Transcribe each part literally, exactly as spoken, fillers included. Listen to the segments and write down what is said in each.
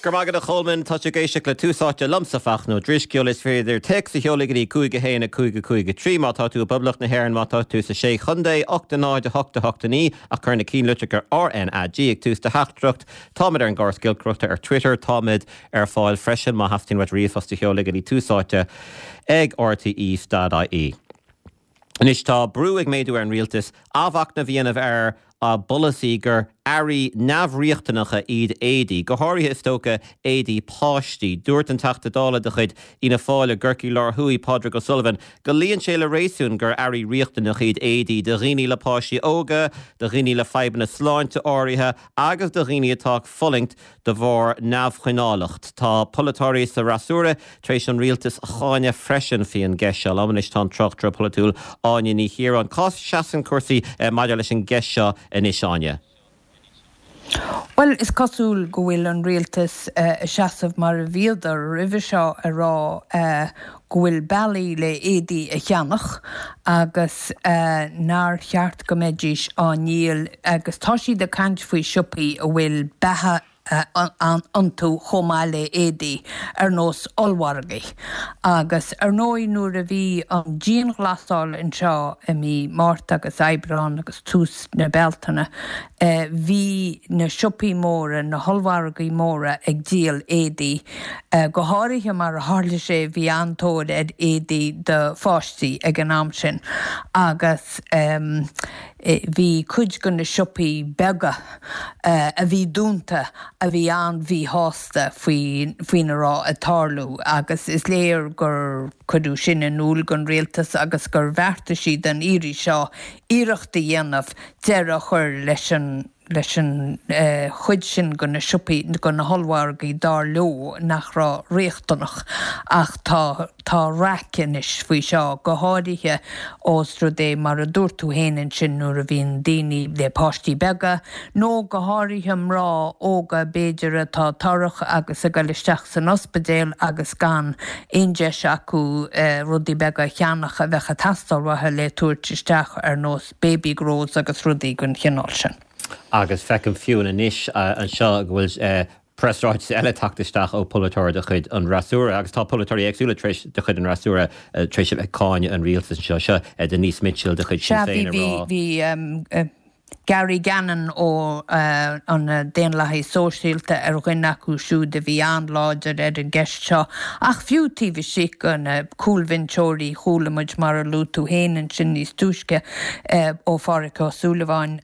Go raibh maith agat a Cholmáin tá ag éisteacht le Tús Áite liomsa Fachtna Ó Drisceoil is féidir téacs a sheoladh go dtí cúig a haon a cúig a cúig a trí má tá tú i bPoblacht na hÉireann má tá tú sa sé chontae ocht a náid a hocht a hocht a naoi ach cuir na ceannlitreacha RNAG ag tús do theachtaireacht Táimid ar an gcóras giolcaireachta ar Twitter táimid ar fáil freisin má theastaíonn uait ríomhphost a sheoladh go dtí Tús Áite ag RTE dot IE. Anois tá brú ag méadú ar an rialtas athmhachnamh a dhéanamh ar a bpolasaí gur earraí neamhriachtanacha iad éadaí, go háirithe is dócha éadaí páistí. Dúirt an Teachta Dála de chuid Fhianna Fáil i gCorcaigh Láir Thuaidh, Pádraig O'Sullivan, go luíonn sé le réasún gur earraí riachtanacha iad éadaí do dhaoine le páistí óga, do dhaoine le fadhbanna sláinte áirithe agus do dhaoine atá ag fulaingt de bharr neamhchoinneálacht. Tá polaiteoirí sa fhreasúra tar éis an rialtas a cháineadh freisin faoin gceist seo. Liom anois tá an tráchtaire polaitiúil Áine Ní Chiaráin. Cá seasann cúrsaí maidir leis an gceist seo anois Áine? Well is cosúil go bhfuil an rialtas uh, seasamh mar a bhíodar roimhe seo a rá uh, go bhfuil bealaí le éadaí a cheannach agus uh, nár cheart go mbeidís á ndíol agus tá siad ag caint faoi siopaí a bhfuil beatha iontu chomh maith le éadaí ar nós ollmhargaí. Agus ar ndóigh nuair a bhí an dianghlasáil anseo i mí Márta agus Aibreán agus tús na Bealtaine, bhí na siopaí móra, na hollmhargaí móra ag díol éadaí. Go háirithe mar a tharla sé bhí an-tóir ar éadaí do pháistí ag an am sin agus bhí cuid de na siopaí beaga a bhí dúnta a bhí an-mhíshásta faoi faoina raibh ag tarlú agus is léir gur cuireadh sin in iúl don rialtas agus gur bheartaigh siad an iarraidh seo iarracht a dhéanamh deireadh a chur leis an leis an chuid sin de na siopaí de na hollmhargaí dar leo nach raibh riachtanach ach tá tá raic anois faoi seo go háirithe ós rud é mar a dúirt tú féin ansin nuair a bhíonn daoine le páistí beaga nó go háirithe mná óga b'fhéidir atá torrach agus ag dul isteach san ospidéal agus gan aon deis acu rudaí beaga a cheannach a bheadh ag teastáil uathu le tabhairt isteach ar nós baby grows agus rudaí den chineál sin. Agus feicim fiú anois anseo go bhfuil preasráiteas eile tagtha isteach ó pholaiteoir de chuid an fhreasúra agus tá polaiteoirí éagsúla tar éis de chuid an fhreasúra tar éis a bheith ag cáineadh an rialtais anseo seo Denise Mitchell de chuid Sinn Féin a rá. Bhí Gary Gannon ó an Daonlathaí Sóisialta ar dhuine acu siúd a bhí an-láidir ar an gceist seo, ach fiú taobh istigh de na cúlbhinseoirí chuala muid mar a luaigh tú féin ansin níos túisce ó Phádraig Ó Súilleabháin,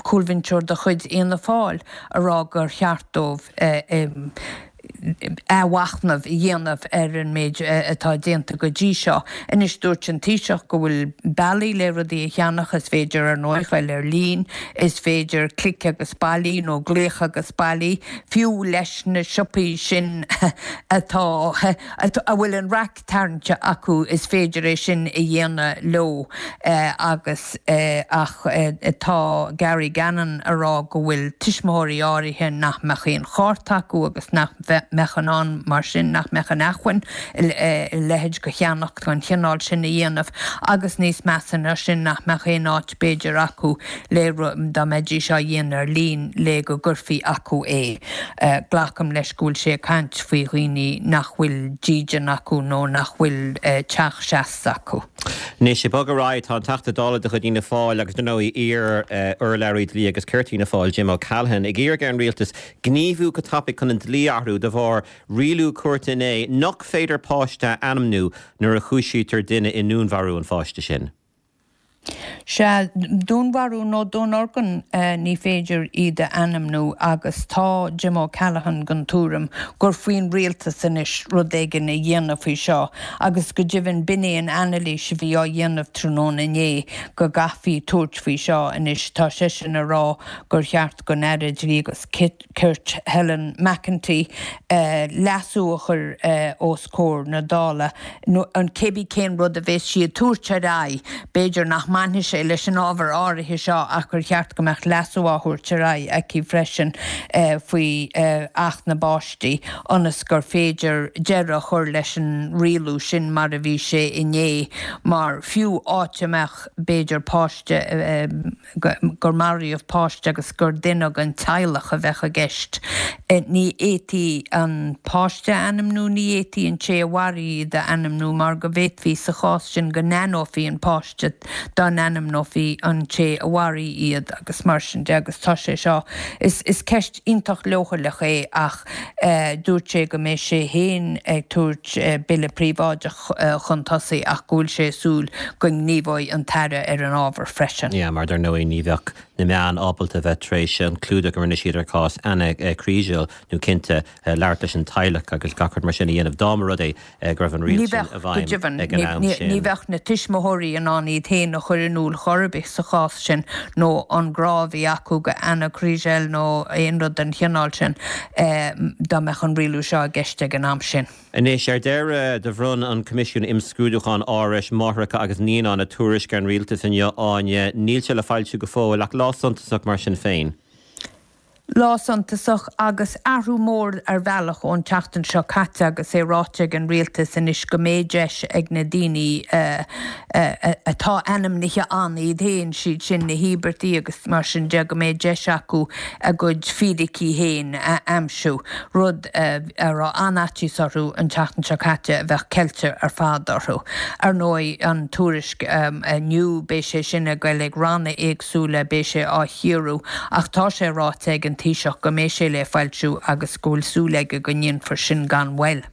cúlbhinseoir de chuid Fhianna Fáil, a rá gur cheart dóibh athmhachnamh a dhéanamh ar an méid atá déanta go dtí seo. Anois dúirt an Taoiseach go bhfuil bealaí le rudaí a cheannach, is féidir ar ndóigh dul ar líne, is féidir clic agus bailigh nó glaoch agus bailigh, fiú leis na siopaí sin atá a bhfuil an raic tarraingte acu is féidir é sin a dhéanamh leo agus ach tá Gary Gannon a rá go bhfuil tuismitheoirí áirithe nach mbeadh aon chárta acu agus nach mbeadh in ann mar sin nach mbeadh an acmhainn a leithéid de cheannach den chineál sin a dhéanamh agus níos measa ná sin nach mbeadh aon áit b'fhéidir acu le dá mbeidís á dhéanamh ar líne le go gcuirfí acu é. Glacaim leis go bhfuil sé ag caint faoi dhaoine nach bhfuil dídean acu nó nach bhfuil teach seasta acu. Anois, ag bogadh ar aghaidh, tá an Teachta Dála de chuid Fhianna Fáil agus, dar ndóigh, iar-urlabhraí dlí agus cirt Fhianna Fáil, Jim O'Callaghan, ag iarraidh ar an rialtas gníomhú go tapaidh chun an dlí a athrú de bharr rialú cúirte inné nach féidir páiste a ainmniú nuair a chúisítear duine i ndúnmharú an pháiste sin. Sea, dúnmharú nó dúnorgain, ní féidir iad a ainmniú agus tá Jim O'Callaghan den tuairim gur faoin rialtas anois rud éigin a dhéanamh faoi seo agus go deimhin b'in é an anailís a bhí á dhéanamh tráthnóna inné go gcaithfí tabhairt faoi seo anois. Tá seisean a rá gur cheart don Aire Dlí agus Cirt Helen McEntee leasú a chur os comhair na Dála nó cébí cén rud a bheas sí ag tabhairt ar aghaidh, b'fhéidir nach mbainfidh mbainfidh sé leis an ábhar áirithe seo ach gur cheart go mbeadh leasú á thabhairt ar aghaidh aici freisin faoi Acht na bPáistí ionas gur féidir deireadh a chur leis an rialú sin mar a bhí sé inné mar fiú áit a mbeadh b'fhéidir páiste gur maraíodh páiste agus gur duine den teaghlach a bheadh i gceist. Ní fhéadfaí an páiste a ainmniú, ní fhéadfaí an té a mharaigh iad a ainmniú mar go bhféadfaí sa chás sin go n-aithneofaí an páiste dá n-ainmneofaí an té a mharaigh iad agus mar sin de agus tá sé seo, is is ceist iontach leochaileach é ach dúirt sé go mbeidh sé féin ag tabhairt bille príobháideach chun tosaigh ach go bhfuil sé ag súil go ngníomhóidh an tAire ar an ábhar freisin. Yeah, mar dar ndóigh ní bheadh na meáin ábalta a bheith tar éis an clúdach a rinne siad ar chás Anna Kriégel nó cinnte labhairt leis an teaghlach agus gach rud mar sin a dhéanamh dá mba rud é go raibh an riail sin i bhfeidhm ag an am sin. Ní bheadh na tuismitheoirí in ann iad féin a chur in iúl chor ar bith sa chás sin nó an grá a bhí acu do Anna Kriégel nó aon rud den chineál sin dá mbeadh an rialú seo i gceist ag an am sin. Anois, ar deireadh, do bhronn an Coimisiún Imscrúdúcháin Árais Máithreacha agus Naíonán a tuairisc ar an Rialtas inniu, Áine. Níl sé le foilsiú go fóill, ach lá suntasach mar sin féin. Lá suntasach agus athrú mór ar bhealach ón tseachtain seo caite agus é ráite ag an Rialtas anois go mbeidh deis ag na daoine atá ainmnithe ann iad féin, siad sin na híobartaigh agus mar sin de, go mbeidh deis acu a gcuid fíricí féin a aimsiú, rud a raibh an-fhaitíos orthu an tseachtain seo caite a bheadh ceilte ar fad orthu. Ar ndóigh, an tuairisc inniu, beidh sé sin ag goil ag ranna éagsúla, beidh sé á chíoradh ach tá sé ráite ag an Taoiseach go mbeidh sé le foilsiú agus go bhfuil súil aige go ndéanfar sin gan mhoill.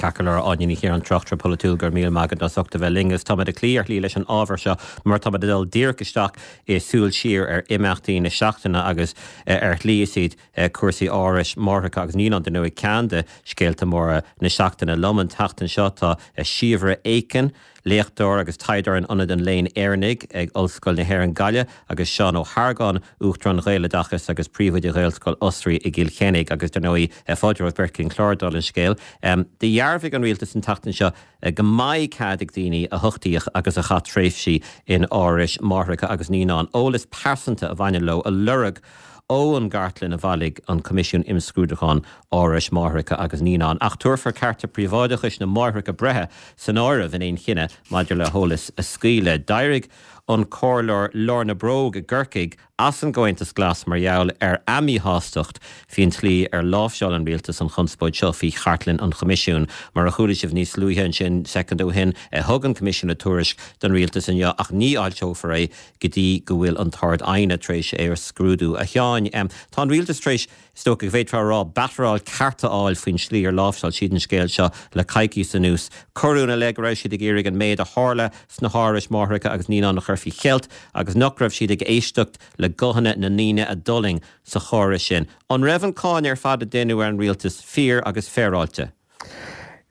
Ceart go leor, Áine Ní Chiaráin, tráchtaire polaitiúil, go raibh míle maith agat as ucht a bheith linn agus táimid ag cloí ar shlí leis an ábhar seo mar táimid ag dul díreach isteach i súil siar ar imeachtaí na seachtaine agus ar shlí is iad cúrsaí árais máithreacha agus naíonán dar ndóigh ceann de scéalta móra na seachtaine. Liom an tseachtain seo tá Síobhra Aiken, léachtóir agus taighdeoir in Ionad an Léinn Éireannaigh ag Ollscoil na hÉireann Gaillimh agus Seán Ó hArgáin, Uachtarán Ghaeloideachas agus Príomhoide Ghaelscoil Osraí i gCill Chainnigh agus dar ndóigh fáilte romhaibh beirt chuig an chlár dála an scéil. Do dhearbhaigh an Rialtas an tseachtain seo go mbeidh cead ag daoine a huchtaíodh agus a chaith tréimhsí in árais máithreacha agus naíonán eolas pearsanta a bhaineann leo a lorg ón gcartlann a bhailigh an Coimisiún Imscrúdúcháin Árais Máithreacha agus Naíonán, ach tabharfar cearta príobháideachais na máithreacha breithe san áireamh in aon chinneadh maidir le heolas a scaoileadh. D'éirigh an Comhairleoir Lorna Brogue i gCorcaigh as an gComhaontas Glas mar gheall ar a míshástacht faoin tslí ar láimhseáil an Rialtas an chonspóid seo faoi chartlann an Choimisiúin. Mar a chuala sibh níos luaithe ansin soicind ó shin, thug an Coimisiún a tuairisc don Rialtas inniu ach ní fhoilseofar é go dtí go bhfuil an tArd-Aighne tar éis é a scrúdú. A Sheáin, tá an Rialtas tar éis, is dócha go bhféadfá a rá, batteráil ceart a fháil faoin slí ar láimhseáil siad an scéal seo le coicíos anuas. Cuireadh ina leith go raibh siad ag iarraidh an méid a tharla sna hárais máithreacha agus naíonán a chur faoi cheilt agus nach raibh siad ag éisteacht le guthanna na ndaoine a d'fhulaing sa chóras sin. An raibh an cáineadh ar fad a deineadh ar an rialtas fíor agus féaráilte?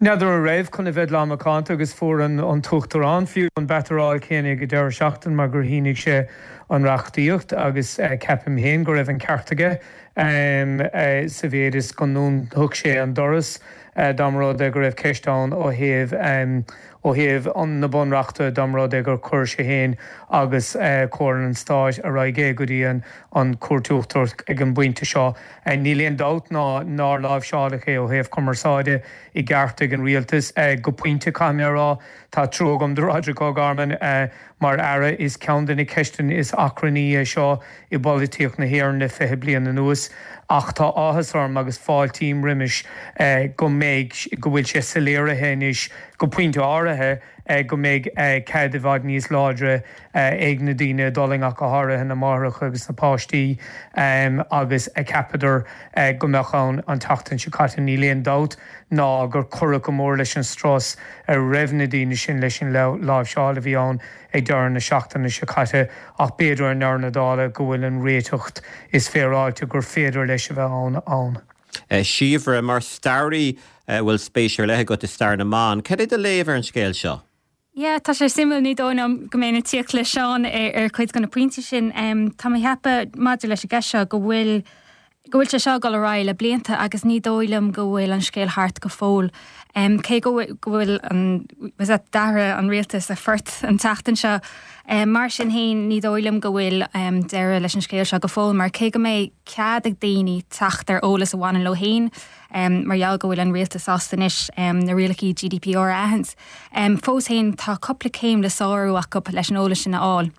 N'fheadar an raibh, chun a bheith lán macánta, agus fuair an tUachtarán fiú an batteráil chéanna ag an deireadh seachtaine mar gur shínigh sé an reachtaíocht agus ceapaim féin go raibh an ceart aige sa mhéid is go ndúnfadh sé an doras dá mba rud é go raibh ceist ann ó thaobh ó thaobh na bunreachta dá mba rud é gur chuir sé féin agus Comhairle an Stáit ar aghaidh é go dtí an Chúirt Uachtarach ag an bpointe seo. Níl aon dabht ná nár láimhseáladh é ó thaobh cumarsáide i gceart ag an rialtas. Go pointe, caithfidh mé a rá, tá trua agam do Roderic O'Gorman mar Aire. Is ceann de na ceisteanna is achrannaí é seo i bpolaitíocht na hÉireann le fiche bliain anuas. Ach tá áthas orm agus fáiltím roimis go mbeidh, go bhfuil sé soiléirithe anois go pointe áirithe, go mbeidh cead i bhfad níos láidre ag na daoine a d'fhulaing, ach go háirithe na máithreacha agus na páistí, agus a cheapadar go mbeadh ann an tseachtain seo caite. Níl aon dabht ná gur cuireadh go mór leis an strus a raibh na daoine sin leis an láimhseáil a bhí ann ag deireadh na seachtaine seo caite, ach b'fhéidir i ndeireadh na dála go bhfuil an réiteach is féaráilte gur féidir leis a bheith ann ann. Síobhra, mar staraí a bhfuil spéis ar leith agat i stair na mban, cad é do léamh ar an scéal seo? Yeah, tá sé suimiúil, ní dóigh liom go mbeinn ag tíocht le Seán ar, ar chuid de na pointí sin. Tá mé ag ceapadh maidir leis an gceist seo go bhfuil go bhfuil sé seo ag dul ar aghaidh le blianta agus ní dóigh liom go bhfuil an scéal thart go fóill. Um, cé go bhfuil d'athraigh an rialtas a phort an tseachtain seo. Um, mar sin féin ní dóigh liom go bhfuil um, deireadh leis an scéal seo go fóill, mar cé go mbeidh cead ag daoine teacht ar eolas a bhaineann leo féin, um, mar gheall go bhfuil an rialtas sásta anois um, na rialacha GDPR a aithint. Um, fós féin tá cúpla céim le sárú acu leis an eolas sin a fháil.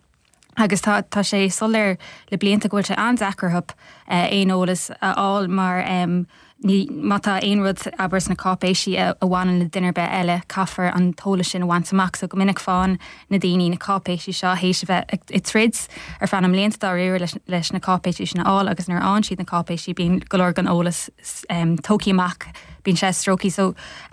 Agus tá tá sé soiléir le blianta go bhfuil sé an-deacair orthu uh, aon eolas a fháil mar um, ní má tá aon rud abair sna cáipéisí a bhaineann le duine ar bith eile caithfear an t-eolas sin a bhaint amach so go minic faigheann na daoine na cáipéisí seo théis a bheith ag troid ar feadh na mblianta dáiríre leis, leis na cáipéisí sin a fháil agus nuair a fhaigheann siad na cáipéisí bíonn go leor den eolas um, tógtha amach bíonn sé stróicthe so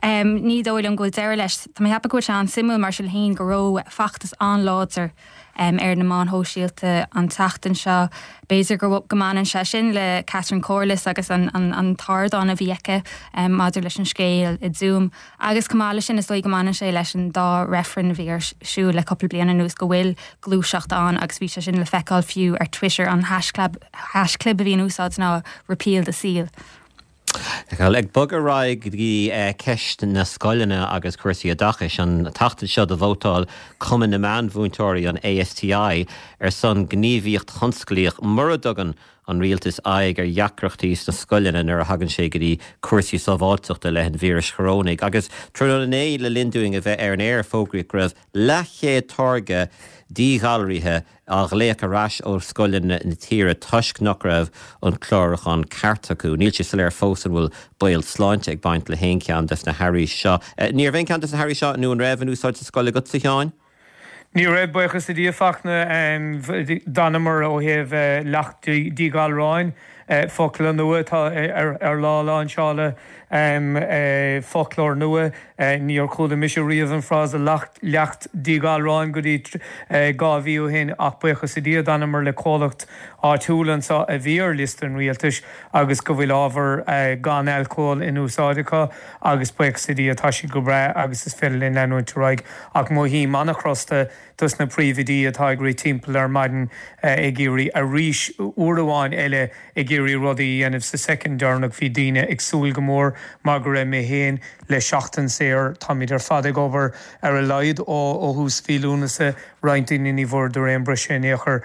um, ní dóigh liom go bhfuil deireadh leis Tá mé ag ceapadh go bhfuil sé an-suimiúil mar sin féin go raibh feachtas an-láidir um, ar na meáin shóisialta an tseachtain seo. B'fhéidir go go mbaineann sé sin le Catherine Corless agus an, an, an t-ardán a bhí aici um, maidir leis an scéal i Zoom. Agus chomh maith leis sin is dóigh go mbaineann sé leis an dá reifreann a bhí ar siúl le cúpla bliain anuas go bhfuil gluaiseacht ann agus bhí sé sin le feiceáil fiú ar Twitter an haischlib a bhí in úsáid ná repeal the seal. Ag bogadh ar aghaidh go dtí ceist na scoileanna agus cúrsaí oideachais an tseachtain seo do vótáil Cumann na Meánmhúinteoirí an ASTI ar son gníomhaíocht thionsclaíoch mura dtugann an rialtas aghaidh ar dheacrachtaí sna scoileanna nuair a thagann sé go dtí cúrsaí sábháilteachta le an víreas chorónaigh. Agus tráthnóna inné le linn dúinn a bheith ar an aer fógraíodh go raibh leathchéad táirge díghalraithe á ghlaoch ar ais ó scoileanna na tíre toisc nach raibh an clárúchán ceart acu. Níl sé soiléir fós an bhfuil baol sláinte ag baint le haon cheann des na hearraí seo. Ní raibh aon cheann des na hearraí seo nó an raibh in úsáid sa scoil agatsa a Sheáin? Ní raibh buíochas le Dia Fachtna d'fhanamar ó thaobh leacht díghalráin focla nua atá ar lá láinseála foclóir nua níor chuala mise riamh an frása leacht díghalráin go dtí dhá mhí ó shin ach buíochas le Dia d'fhanamar le comhlacht áitiúil anseo a bhí ar liosta an rialtais agus go bhfuil ábhar gan alcól in úsáid acu agus buíochas le Dia tá siad go breá agus is féidir linn leanúint ar aghaidh ach mothaím an-chrosta dos na príomhoidí atá ag rith timpeall ar maidin ag iarraidh arís uair amháin eile ag iarraidh rudaí a dhéanamh sa soicind deireanach bhí daoine ag súil go mór mar go raibh mé féin le seachtain saor táimid ar fad ag obair ar a laghad ó ó thús mhí Lúnasa roinnt daoine ní bhfuaireadar aon briseadh in aon chor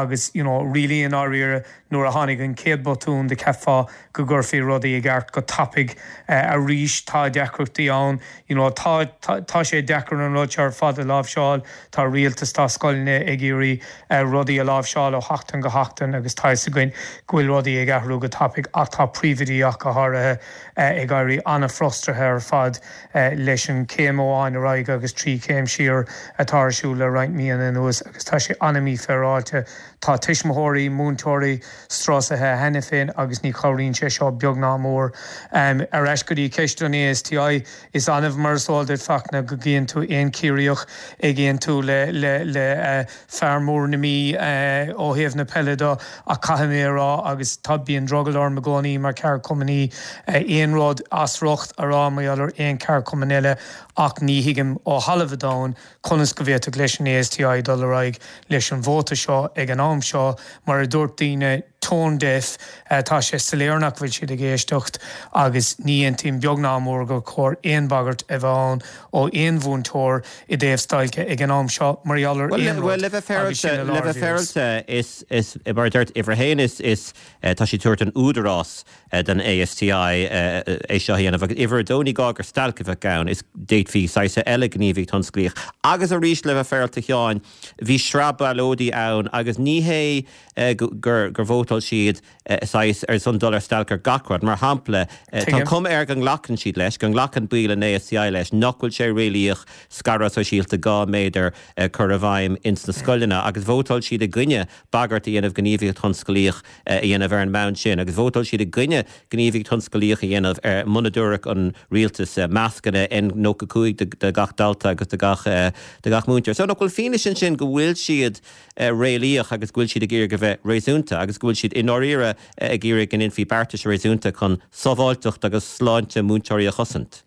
agus you know really i ndáiríre nuair a tháinig an chéad botún do cheapfá go gcuirfí rudaí i gceart go tapaidh arís tá deacrachtaí ann you know tá tá sé deacair an rud seo ar fad a láimhseáil tá rialtas tá scoileanna ag iarraidh rudaí a láimhseáil ó sheachtain go seachtain agus tá fhios againn go bhfuil rudaí ag athrú go tapaidh ach tá príomhoidí ach go háirithe ag éirí an-fhrustraithe ar fad leis an céim amháin ar aghaidh agus trí chéim siar atá ar siúl le roinnt míonna anuas agus tá sé an-mhífhéaráilte. Tá tuismitheoirí, múinteoirí strusaithe cheana féin agus ní chabhraíonn sé seo beag ná mór. Ar ais go dtí ceist an ASTI, is annamh mar is eol duit Fachtna go gcíonn tú aon Chiarraíoch ag aontú le le le fear mór na Mí ó thaobh na peile de ach caithfidh mé a rá agus tá bíonn drogall orm i gcónaí mar cheardchumannaí aon rud as riocht a rá mar gheall ar aon cheardchumann eile ach ní thuigim ó thalamh an domhain conas go bhféadfadh leis an ASTI dul ar aghaidh leis an vóta seo ag an am seo mar a dúirt daoine tone deaf tá sé soiléir nach bhfuil siad ag éisteacht agus ní aontaím beag ná mór gur chóir aon bhagairt a bheith ann ó aon mhúinteoir i dtaobh stailce ag an am seo mar gheall ar aon rud le bheith féaráilte le bheith féaráilte is is mar a dúirt uimhir a haon is is tá siad ag tabhairt an údarás don ASTI é seo a dhéanamh agus uimhir a dó ní gá gur stailc a bheadh ann is d'fhéadfaí saghas eile gníomhaíocht thionsclaíoch agus arís le bheith féaráilte a Sheáin bhí sraith ballóidí ann agus ní hé gur gur vótáil siad saghas ar son dul ar stailc ar gach rud mar shampla tá an chuma air go nglacann siad leis go nglacann baill an ASTI leis nach bhfuil sé réalaíoch scaradh sóisialta dhá méadar cur i bhfeidhm ins na scoileanna agus vótáil siad i gcoinne bagairt a dhéanamh gníomhaíocht thionsclaíoch a dhéanamh ar an mbonn sin agus vótáil siad i gcoinne gníomhaíocht thionsclaíoch a dhéanamh ar muna dtabharfadh an rialtas mascanna N nócha cúig do gach dalta agus do gach do gach múinteoir. So nach bhfuil fianaise ansin go bhfuil siad réalaíoch agus go bhfuil siad ag iarraidh a bheith réasúnta agus go bhfuil siad i ndáiríre ag iarraidh go ndéanfaí beartais réasúnta chun sábháilteacht agus sláinte múinteoirí a chosaint.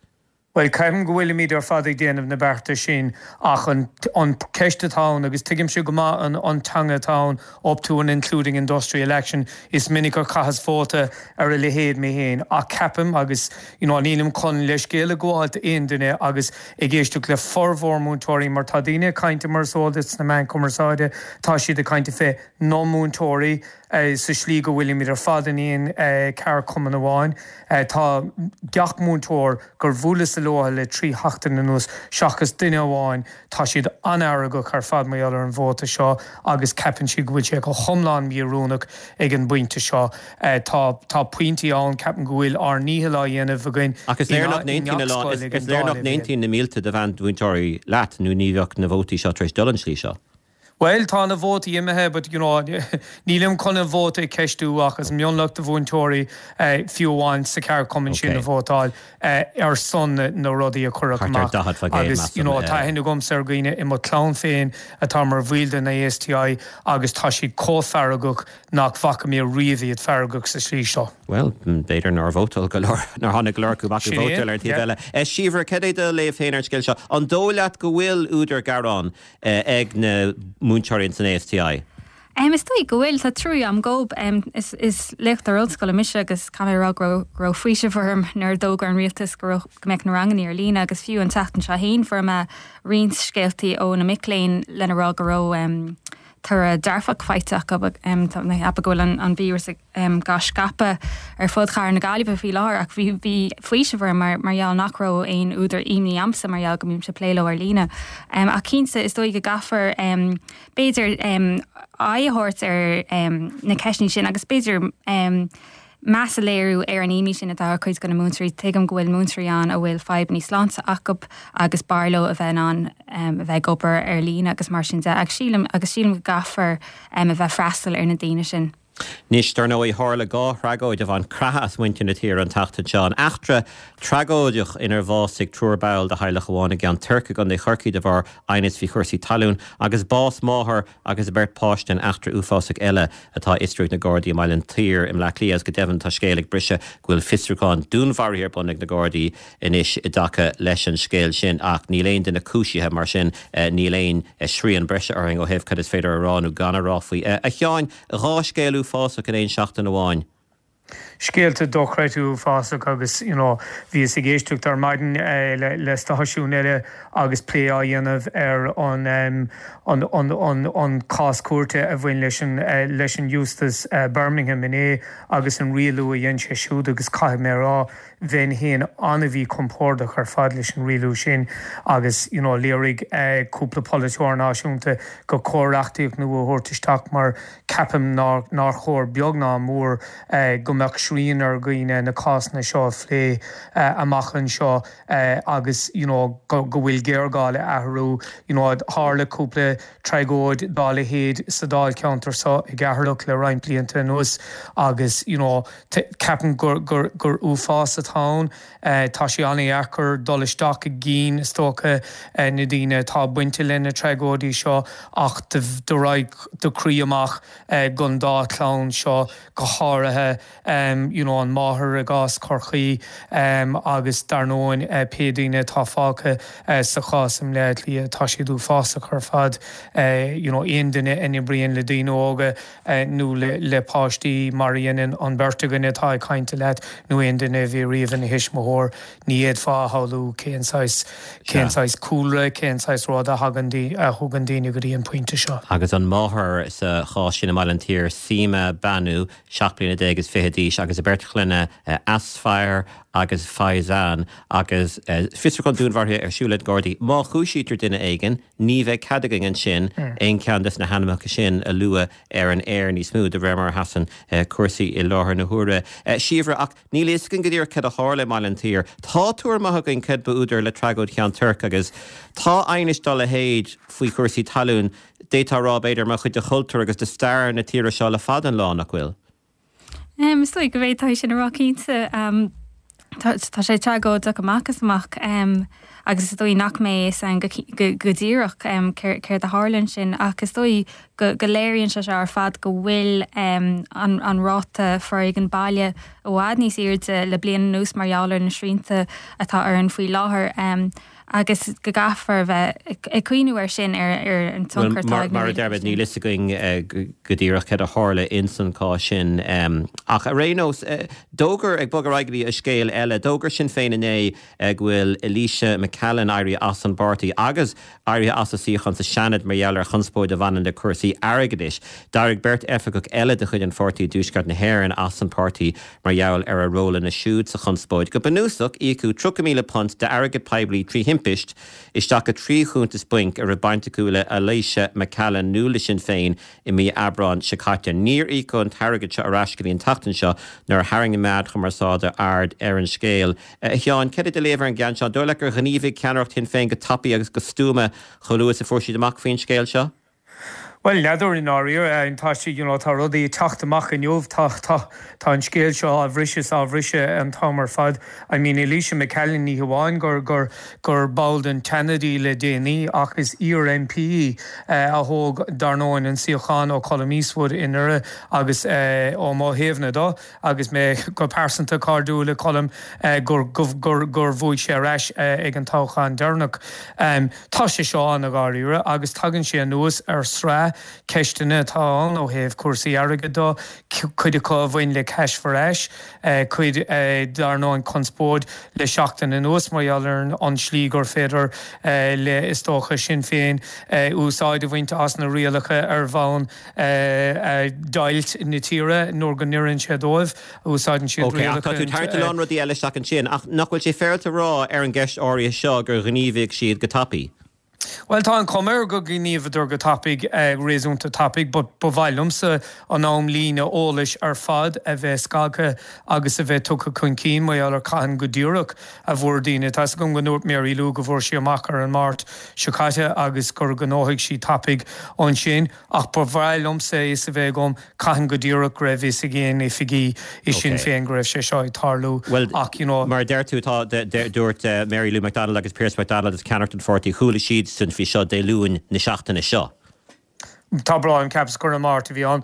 Well ceapaim go bhfuilimid ar fad ag déanamh na bearta sin ach an an ceist atá ann agus tuigimse go maith an an teanga atá ann up to and including industrial action is minic gur chaitheas vóta ar a leithéid mé féin ach ceapaim agus you know nílim chun leithscéal a ghabháil d'aon duine agus ag éisteacht le formhór múinteoirí mar tá daoine ag caint mar is eol duit sna meáin chumarsáide tá siad ag caint fé na múinteoirí sa slí go bhfuilimid ar fad in aon cheardchumann amháin. Tá gach múinteoir gur bhuaileas leo le trí sheachtain anuas seachas duine amháin, tá siad an-fheargach ar fad mar gheall ar an vóta seo agus ceapann siad go bhfuil sé go hiomlán míoiriúnach ag an bpointe seo. Tá tá pointí ann, ceapaim go bhfuil ár ndícheall á dhéanamh againn Ach is léir nach n-aontaíonn na mílte de mheánmhúinteoirí leat nó ní bheadh na vótaí seo tar éis dul an slí seo. Bhuel, tá na vótaí imithe but you know nílim chun an vóta a cheistiú ach is mionlach de mhúinteoirí fiú amháin sa cheardchumann sin a vótáil ar son na rudaí a cuireadh amach agus you know tá aithne agamsa ar dhaoine i mo chlann féin atá mar bhaill den ASTI agus tá siad chomh feargach nach bhfaca mé riamh iad feargach sa slí seo. Bhuel, b'fhéidir nár vótáil go leor, nár tháinig go leor acu amach ag vótáil ar an taobh eile. Síobhra, cad é do léamh féin ar an scéal seo? An dóigh leat go bhfuil údar gearáin ag na múinteoirí san ASTI? Um, is dóigh go bhfuil tá trua agam dóibh um, is, is léachtóir ollscoile mise agus caithfidh mé a rá go raibh go raibh faoiseamh orm nuair a d'fhógair an rialtas go raibh go mbeadh na ranganna ar líne agus fiú an tseachtain seo féin fuair mé roinnt scéaltaí ó na mic léinn lena rá go raibh um, toradh dearfach faighte acu um, tá mé ag ceapadh go bhfuil an, an víreas ag um, gá scaipeadh ar fud chathair na Gaillimhe faoi láthair ach bhí bhí faoiseamh orm mar mar gheall nach raibh aon údar imní a'msa mar gheall go mbímse ag plé leo ar líne. Um, ach cinnte is dóigh go gcaithfear um, b'fhéidir um, aghaidh a thabhairt ar um, na ceisteanna sin agus b'fhéidir um, meas a léiriú ar an imní sin atá ar chuid de na múinteoirí tuigim go bhfuil múinteoirí ann a bhfuil fadhbanna sláinte acu agus b'fhearr leo a bheith in ann um, a bheith ag obair ar líne agus mar sin de ach sílim agus sílim go gcaithfear um, a bheith freastal ar na daoine sin. Anois dar ndóigh tharla dhá thragóid a bhain creathadh as muintir na tíre an tseachtain seo an eachtra tragóideach inar bhásaigh triúr ball de theaghlach amháin i gCeann Toirc i gContae Chorcaí de bharr aighneas faoi chúrsaí talún agus bás máthar agus a beirt páiste in eachtra uafásach eile atá á fhiosrú ag na Gardaí i mBaile an tSaoir i mBleá Cliath agus go deimhin tá scéal ag briseadh go bhfuil fiosrúchán dúnmharaithe ar bun ag na Gardaí anois i dtaca leis an scéal sin ach níl aon duine cúisithe mar sin níl aon srian breise orainn ó thaobh cad is féidir a rá nó gan a rá faoi. A Sheáin dhá scéal uafásach in aon seachtain amháin. Scéalta dochreidte uafásach agus you know, bhíos ag éisteacht ar maidin eh, le, le stáisiún eile agus plé á dhéanamh ar an, um, an, an, an, an cás cúirte a bhain leis an, uh, leis an Justice uh, Birmingham inné agus an rialú a dhein sé siúd agus caithfidh mé a rá bheinn féin an-mhíchompordach ar fad leis an rialú sin agus you know, léirigh uh, cúpla polaiteoir náisiúnta gur chóir reachtaíocht nua a thabhairt isteach mar ceapaim nár, nár chóir beag ná mór uh, go mbeadh srian ar dhaoine na cásanna seo a phlé uh, amach anseo uh, agus you know, go, go bhfuil géarghá le athrú you know, tharla cúpla tragóid dá leithéid sa dáilcheantar seo i gCeatharlach le roinnt blianta anuas agus you know, ceapaim gur, gur, gur uafás atá ann uh, tá sé an-deacair dul isteach i gcinn is dócha uh, na daoine atá bainte le na tragóidí seo ach do raghaidh do chroí amach uh, don dá chlann seo go háirithe um, you know, an máthair i gcás Chorcaí um, agus dar ndóigh uh, pé daoine atá fágtha uh, sa chás i mBleá Cliath tá siad uafásach ar fad uh, you know, aon duine a oibríonn le daoine óga uh, nó le, le páistí mar a dhéanann an bheirt againn atá ag caint leat nó aon duine a bhí riamh ina thuismitheoir ní fhéadfá a shamhlú cén saghas cén saghas cúlra cén saghas rud a thagann a thugann daoine go dtí an pointe seo. Agus an máthair sa chás sin i mBaile an tSaoir Seema Banu seacht bliana déag is fiche d'aois agus a beirt chlainne Asfire agus Faizan agus fiosrúchán dúnmharaithe ar siúl ag Gardaí. Má chúisítear duine éigin, ní bheidh cead againn ansin aon cheann des na hainmneacha sin a lua ar an aer níos mó de réir mar a sheasann cúrsaí i láthair na huaire. Síobhra ach níl a fhios againn go díreach cad a tharla i mBaile an tSaoir. Tá tuairim maith againn cad ba údar le tragóid Cheann Toirc agus tá aighnis dá leithéid faoi chúrsaí talún d'fhéadfá a rá b'fhéidir mar chuid de chultúr agus de stair na tíre seo le fada an lá nach bhfuil. Um, is dóigh go bhféadfá sin a rá cinnte um, Tá sé tragóideach amach is amach um, agus is dóigh nach mbeidh a fhios againn go, go, go díreach um, céard a tharla ansin ach is dóigh go, go léiríonn sé ar fad go bhfuil um, an, an ráta foréigean baile i bhfad níos airde le bliain anuas mar gheall ar na srianta atá ann faoi láthair. Um, agus go gcaithfear bheith ag cuimhneamh ar sin ar ar an tionchar Mar mar a deir níl a fhios againn eh, go díreach céard a tharla in san cás sin ach ar aon nós eh, d'fhógair ag bogadh ar aghaidh go dtí scéal eile d'fhógair Sinn Féin inné eh, go bhfuil Eilíse McCallan éirithe as an bpáirtí agus éirithe as a suíochán sa Seanad mar gheall ar chonspóid a bhaineann le cúrsaí airgeadais. D'éirigh beirt oifigeach eile de chuid an pháirtí i dTuaisceart na hÉireann as an páirtí mar gheall ar a rólanna siúd sa chonspóid. Go bunúsach íocadh tríocha míle punt d'airgead poiblí trí thimpist isteach i trí chuntas bainc a raibh baint acu le Eilíse McCallan nó le Sinn Féin i mí Aibreáin seo caite. Níor íocadh an t-airgead seo ar ais go dtí an tseachtain seo nuair a tharraing na meáin chumarsáide aird ar an scéal. A Sheáin, céard é do léamh ar an gceann seo, dóigh leat gur ghníomhaigh ceannaireacht Shinn Féin go tapaidh agus go stuama chomh luath is a fuair siad amach faoin scéal seo? Well n'fheadar i ndáiríre tá sé you know, tá rudaí ag teacht amach inniu tá tá tá an scéal seo á bhriseadh á bhriseadh an t-am ar fad. I mean Eilíse McCallan ní hamháin gur gur gur ball den Seanad í le déanaí ach is iar-MP uh, a thóg dar ndóigh an suíochán ó Colum Eastwood i nDoire agus uh, ó mo thaobhna do agus mé go pearsanta cairdiúil le Colum uh, gur gur gur gur bhuaigh sé ar ais uh, ag an toghchán deireanach. Um, tá sé seo an-dháiríre agus tagann sé anuas ar sraith ceisteanna atá ann ó thaobh cúrsaí airgid de cuid acu a bhain le Cash for Ash cuid dar ndóigh an conspóid le seachtain anuas mar gheall ar an slí gur féidir le is dócha Sinn Féin úsáid a bhaint as na rialacha ar bhonn deighilt na tíre nuair go n-oireann sé dóibh úsáideann siad Ok, ach tá tú ag tarraingt a lán rudaí eile isteach ansin ach nach bhfuil sé féaráilte a rá ar an gceist áirithe seo gur ghníomhaigh siad go tapaidh. Well tá an chuma air go ngníomhaíodar go tapaidh eh, réasúnta tapaidh, but ba mhaith liomsa an amlíne eolais ar fad a bheith scagtha agus a bheith tugtha chun cinn mar gheall ar cathain go díreach a bhfuair daoine. Tá gom go ndúirt Mary Lou go bhfuair sí amach ar an Máirt seo caite agus gur gnóthaigh sí tapaidh ansin ach ba mhaith liomsa is a bheith agam cathain go díreach go raibh fhios ag aon oifigigh i Sinn Féin go raibh sé seo ag tarlú Well, ach you know, mar deir tú tá dúirt uh, Mary Lou McDonald agus Pearse McDonald is ceannaireacht an pháirtí chuala siad san faoi seo Dé Luain na seachtaine seo. Tá brá ceapas gur an Máirt a bhí ann.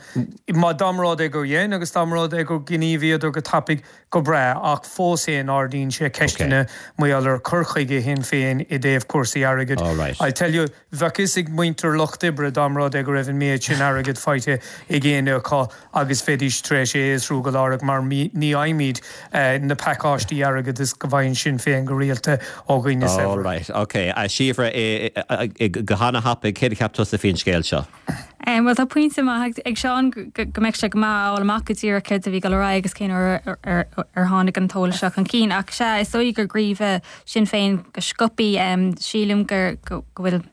Má dá mba rud é gur dhein agus dá mba rud é gur ghníomhaíodar go tapaidh go breá ach fós féin ardaíonn sé ceisteanna mar gheall ar chur chuige Shinn Féin i dtaobh cúrsaí airgid. All right. I tell you bheadh fhios ag muintir Lucht Oibre dá mba rud é go raibh an méid sin airgid faighte ag éinne acu agus bheidís tar éis é a fhiosrú go láithreach mar ní fhaighimid eh, na pacáistí airgid is go bhfaigheann Sinn Féin go rialta ó dhaoine All right, okay. A Síobhra go han-thapaidh céard a cheap tusa faoin scéal seo. Um, well tá pointe maith ag Seán go mbeadh sé go maith a fháil amach go díreach céard a bhí ag dul ar aghaidh agus cén uair ar tháinig an t-eolas seo chun cinn ach sé is dóigh gur ghníomhaigh Sinn Féin go sciobtha um, sílim gur go bhfuil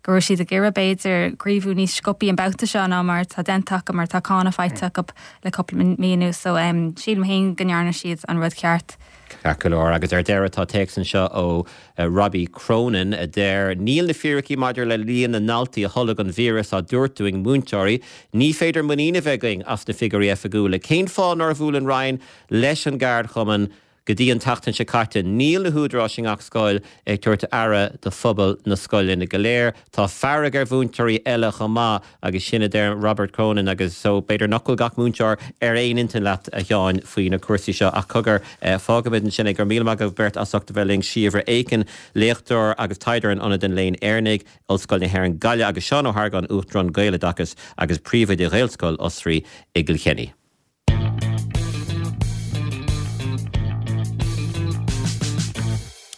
go raibh siad ag iarraidh b'fhéidir gníomhú níos sciobtha an babhta seo ná mar tá déanta acu mar tá cáineadh faighte acu le cúpla mí anuas so um, sílim féin go ndearna siad an rud ceart. Ceart go leor agus ar deireadh tá téacs anseo ó uh, Robbie Cronin a deir níl na fíricí maidir le líon na ndaltaí a tholg an víreas á dtabhairt dúinn ag múinteoirí, ní féidir muinín a bheith againn as na figiúirí oifigiúla. Cén fáth nár bhuail an Roinn leis an gceardchumann go dtí an tseachtain seo caite níl na húdaráis i ngach scoil ag tabhairt aire do phobal na scoileanna go léir. Tá fearg ar mhúinteoirí eile chomh maith agus sin a deir Robert Cronin agus so b'fhéidir nach bhfuil gach múinteoir ar aon intinn leat a Sheáin faoi na cúrsaí seo ach cogar eh, fágfaimid ansin é go raibh míle maith agaibh beirt as ucht a bheith linn Síobhra Aiken, léachtóir agus taighdeoir in Ionad an Léinn Éireannaigh, Ollscoil na hÉireann Gaillimh agus Seán Ó hArgáin Uachtarán Gaeloideachas agus príomhoide Ghaelscoil Osraí i gCill Chainnigh.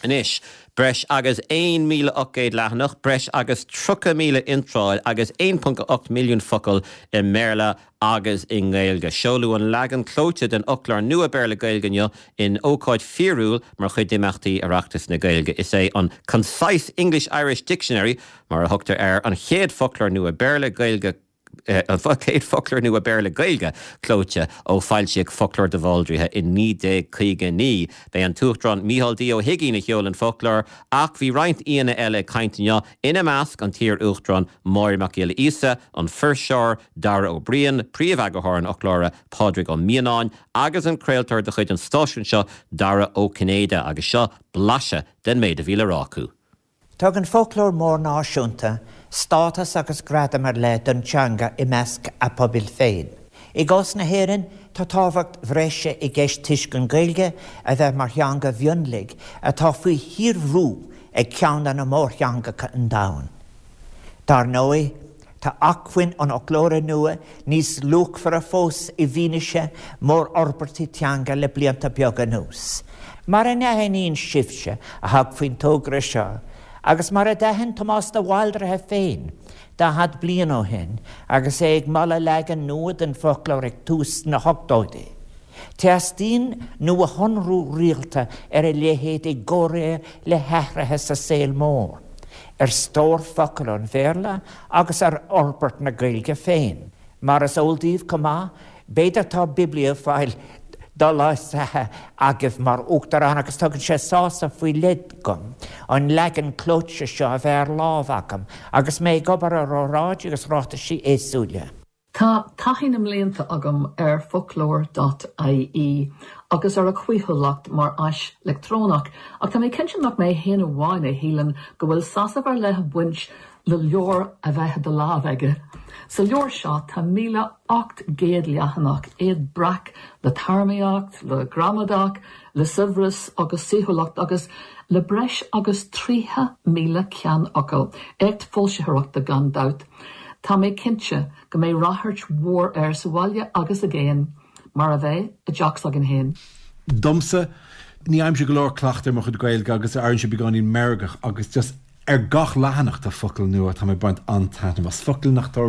Anois, breis agus aon míle ocht gcéad leathanach, breis agus tríocha míle iontráil agus aon ponc ocht milliún focal i mBéarla agus i nGaeilge. Seoladh an leagan clóite den fhoclóir nua Béarla-Gaeilge inniu in ócáid fíorúil mar chuid d'imeachtaí Oireachtas na Gaeilge. Is é an Concise English-Irish Dictionary, mar a thugtar air, an chéad foclóir nua Béarla-Gaeilge an chéad foclóir nua Béarla-Gaeilge clóite ó foilsíodh Foclóir de Bhaldraithe i naoi déag caoga a naoi. B'é an tUachtarán Micheál D. Ó hUigínn a sheol an foclóir ach bhí roinnt aíonna eile ag caint inniu, ina measc an t-iar-Uachtarán Máire Mac Giolla Íosa, an fuirseoir Dara Ó Briain, príomheagarthóir an fhoclóra Pádraig Ó Mianáin agus an craoltóir de chuid an stáisiúin seo Dara Ó Cinnéide agus seo blaiseadh den méid a bhí le rá acu. Tugann foclóir mór náisiúnta stádas agus gradam ar leith don teanga i measc a pobail féin. I gcás na hÉireann, tá tábhacht bhreise i gceist toisc an Ghaeilge a bheith mar theanga mhionlaigh atá faoi shíorbhrú ag ceann de na mórtheangacha an domhain. Dar ndóigh, tá acmhainn an fhoclóra nua níos luachmhaire fós i bhfianaise mórfhorbairtí teanga le blianta beaga anuas. Mar a n-aithníonn sibhse a thug faoin togra seo, agus mar a d'aithin Tomás de Bhaldraithe féin daichead bliain ó shin agus é ag moladh leagan nua den foclóir ag tús na hochtóidí, teastaíonn nuashonrú rialta ar a leithéid i gcomhréir le hathruithe sa saol mór, ar stór focal an Bhéarla agus ar fhorbairt na Gaeilge féin. Mar is eol daoibh chomh maith, b'fhéidir tá bibliophile doleigheastha agaibh mar Uachtarán agus tugann sé sásamh faoi leith dom an leagan clóite seo a bheith ar lámh agam agus mé ag obair ar óráidí agus ráitisí éagsúla. Tá taithí na mblianta agam ar foclóir dot ie agus ar a chaoithiúlacht mar áis leictreonach, ach tá mé cinnte nach mé féin amháin a shíleann go bhfuil sásamh ar leith ag baint le leabhar a bheith i do lámh aige. Sa leabhar seo tá míle ocht gcéad leathanach, iad breac le téarmaíocht, le gramadach, le saibhreas agus saoithiúlacht agus le breis agus tríocha míle ceannfhocal, éacht foilsitheoireachta gan dabht. Tá mé cinnte go mbeidh ráchairt mhór air sa bhaile agus i gcéin, mar a bheidh i dteach s'againn féin. Domsa, ní fhaighimse go leor cleachtaidh ar mo chuid Gaeilge agus airíonn sé beagáinín meirgeach agus just ar gach leathanach tá focal nua, tá mé ag baint an-taitneamh as focail nach tá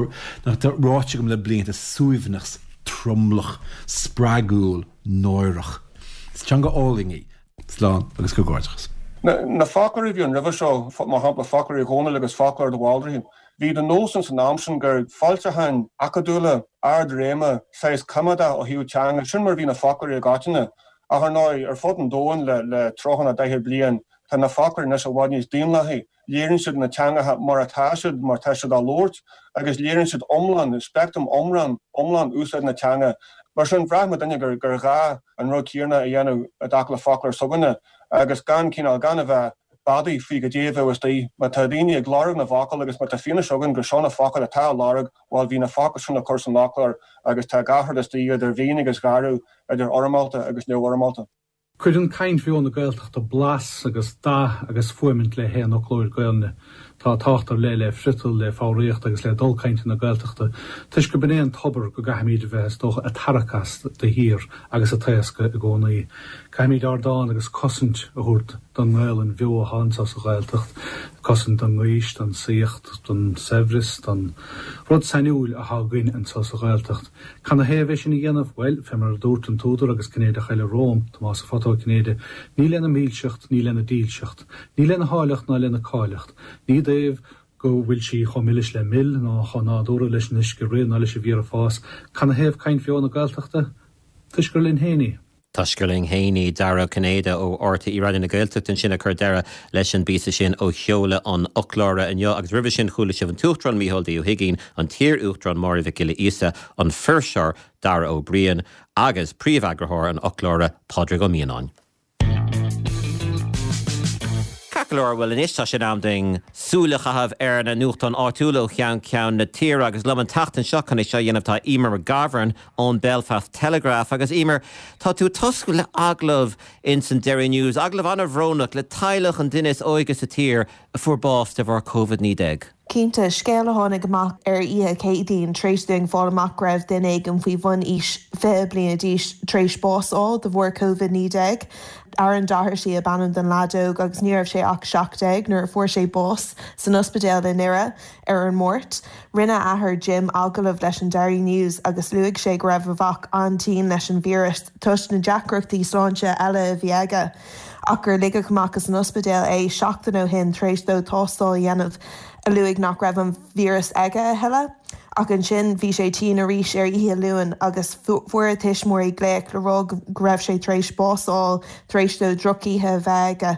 nach tá ráite agam le blianta, suaimhneas, tromlach, spreagúil, náireach. Is teanga álainn í. Slán agus comhghairdeachas. Na foclóirí a bhí ann roimhe seo, mar shampla Foclóir Uí Dhónaill agus Foclóir de Bhaldraithe, bhí de nós ann san am sin gur foilseacháin acadúla, ardréime, saghas coimeádach ó thaobh teanga, sin mar a bhí na foclóirí i gcoitinne. Ach ar ndóigh, ar fud an domhain le le tríocha nó daichead bliain, tá na foclóirí anois i bhfad níos daonlathaí. Léiríonn siad na teangacha mar atá siad, mar atá siad á labhairt, agus léiríonn siad iomlán, speictream iomlán, iomlán úsáid na teanga. Mar sin, bhraith muidinne gur gur ghá an rud céanna a dhéanamh i dtaca le foclóir s'againne, agus gan cineál, gan a bheith beadaí faoi goidé a bheadh istigh. Má tá daoine ag lorg na bhfocal agus má tá fianaise againn gur seo na focail atá á lorg, bhuel, bhí na focail sin le cur san fhoclóir agus tá gach rud istigh, idir mhín agus gharbh, idir fhoirmeálta agus neamhfhoirmeálta. Cuireann caint bheo na Gaeltachta blas agus dath agus fuaimint le haon fhoclóir Gaelainne. Tá tábhacht ar leith le friotal, le foghraíocht agus le dul cainte na Gaeltachta, toisc gurb in é an tobar go gcaithfimid a bheith, is dócha, ag tarrac as de shíor agus ag taoscadh i gcónaí. Caithfimid ardán agus cosaint a thabhairt don nGaelainn bheo atá anseo sa Ghaeltacht, cosaint don ngaois, don saíocht, don saibhreas, don rud sainiúil atá againn anseo sa Ghaeltacht. Canathaobh é sin a dhéanamh? Bhuel, fé mar a dúirt an t-údar agus Cinnéideach eile romham, Tomás a' Phota Ó Cinnéide, ní lena milseacht, ní lena dílseacht, ní lena háilleacht ná lena cáilíocht, ní i dtaobh go bhfuil sí chomh milis le mil ná chomh nádúrtha leis an uisce ag rith ná leis an bhfíor ag fás. Canathaobh caint bheo na Gaeltachta? Toisc gur linn féin í. Toisc gur linn féin í, Dara Ó Cinnéide ó RTÉ Raidió na Gaeltachta ansin ag cur deireadh leis an bpíosa sin ó sheoladh an fhoclóra inniu. Agus roimhe sin chuala sibh an tUachtarán Micheál D. Ó hUigínn, an t-iar-Uachtarán Máire Mhic Giolla Íosa, an fuirseoir Dara Ó Briain agus príomheagarthóir an fhoclóra Pádraig Ó Mianáin. Ceart go leor, bhuel anois tá sé in am dúinn súil a chaitheamh ar na nuachtáin áitiúla ó cheann ceann na tíre agus liom an tseachtain seo chun é seo a dhéanamh tá Emer McGovern ón Belfast Telegraph agus Emer, tá tú ag tosú le agallamh ins an Derry News, agallamh an-bhrónach le teaghlach an duine is óige sa tír a fuair bás de bharr Covid naoi déag. Cinnte, scéal a tháinig amach ar oíche Céadaoin tar éis dúinn fáil amach go raibh duine éigin faoi bhun aois fiche bliana d'aois tar éis bás a fháil de bharr Covid naoi déag. Aaron Doherty ab ainm don leaid óg agus ní raibh sé ach seacht déag nuair a fuair sé bás san ospidéal i nDoire ar an Máirt. Rinne a athair Jim agallamh leis an Derry News agus luaigh sé go raibh a mhac an-tinn leis an víreas toisc na deacrachtaí sláinte eile a bhí aige ach gur ligeadh amach as an ospidéal é seachtain ó shin tar éis dó tástáil a dhéanamh a luaigh nach raibh an víreas aige a thuilleadh. Ach ansin bhí sé tinn arís ar oíche Luain agus fuair a thuismitheoirí glaoch le rá go raibh sé tar éis bás a fháil tar éis dó drochoíche a bheith aige.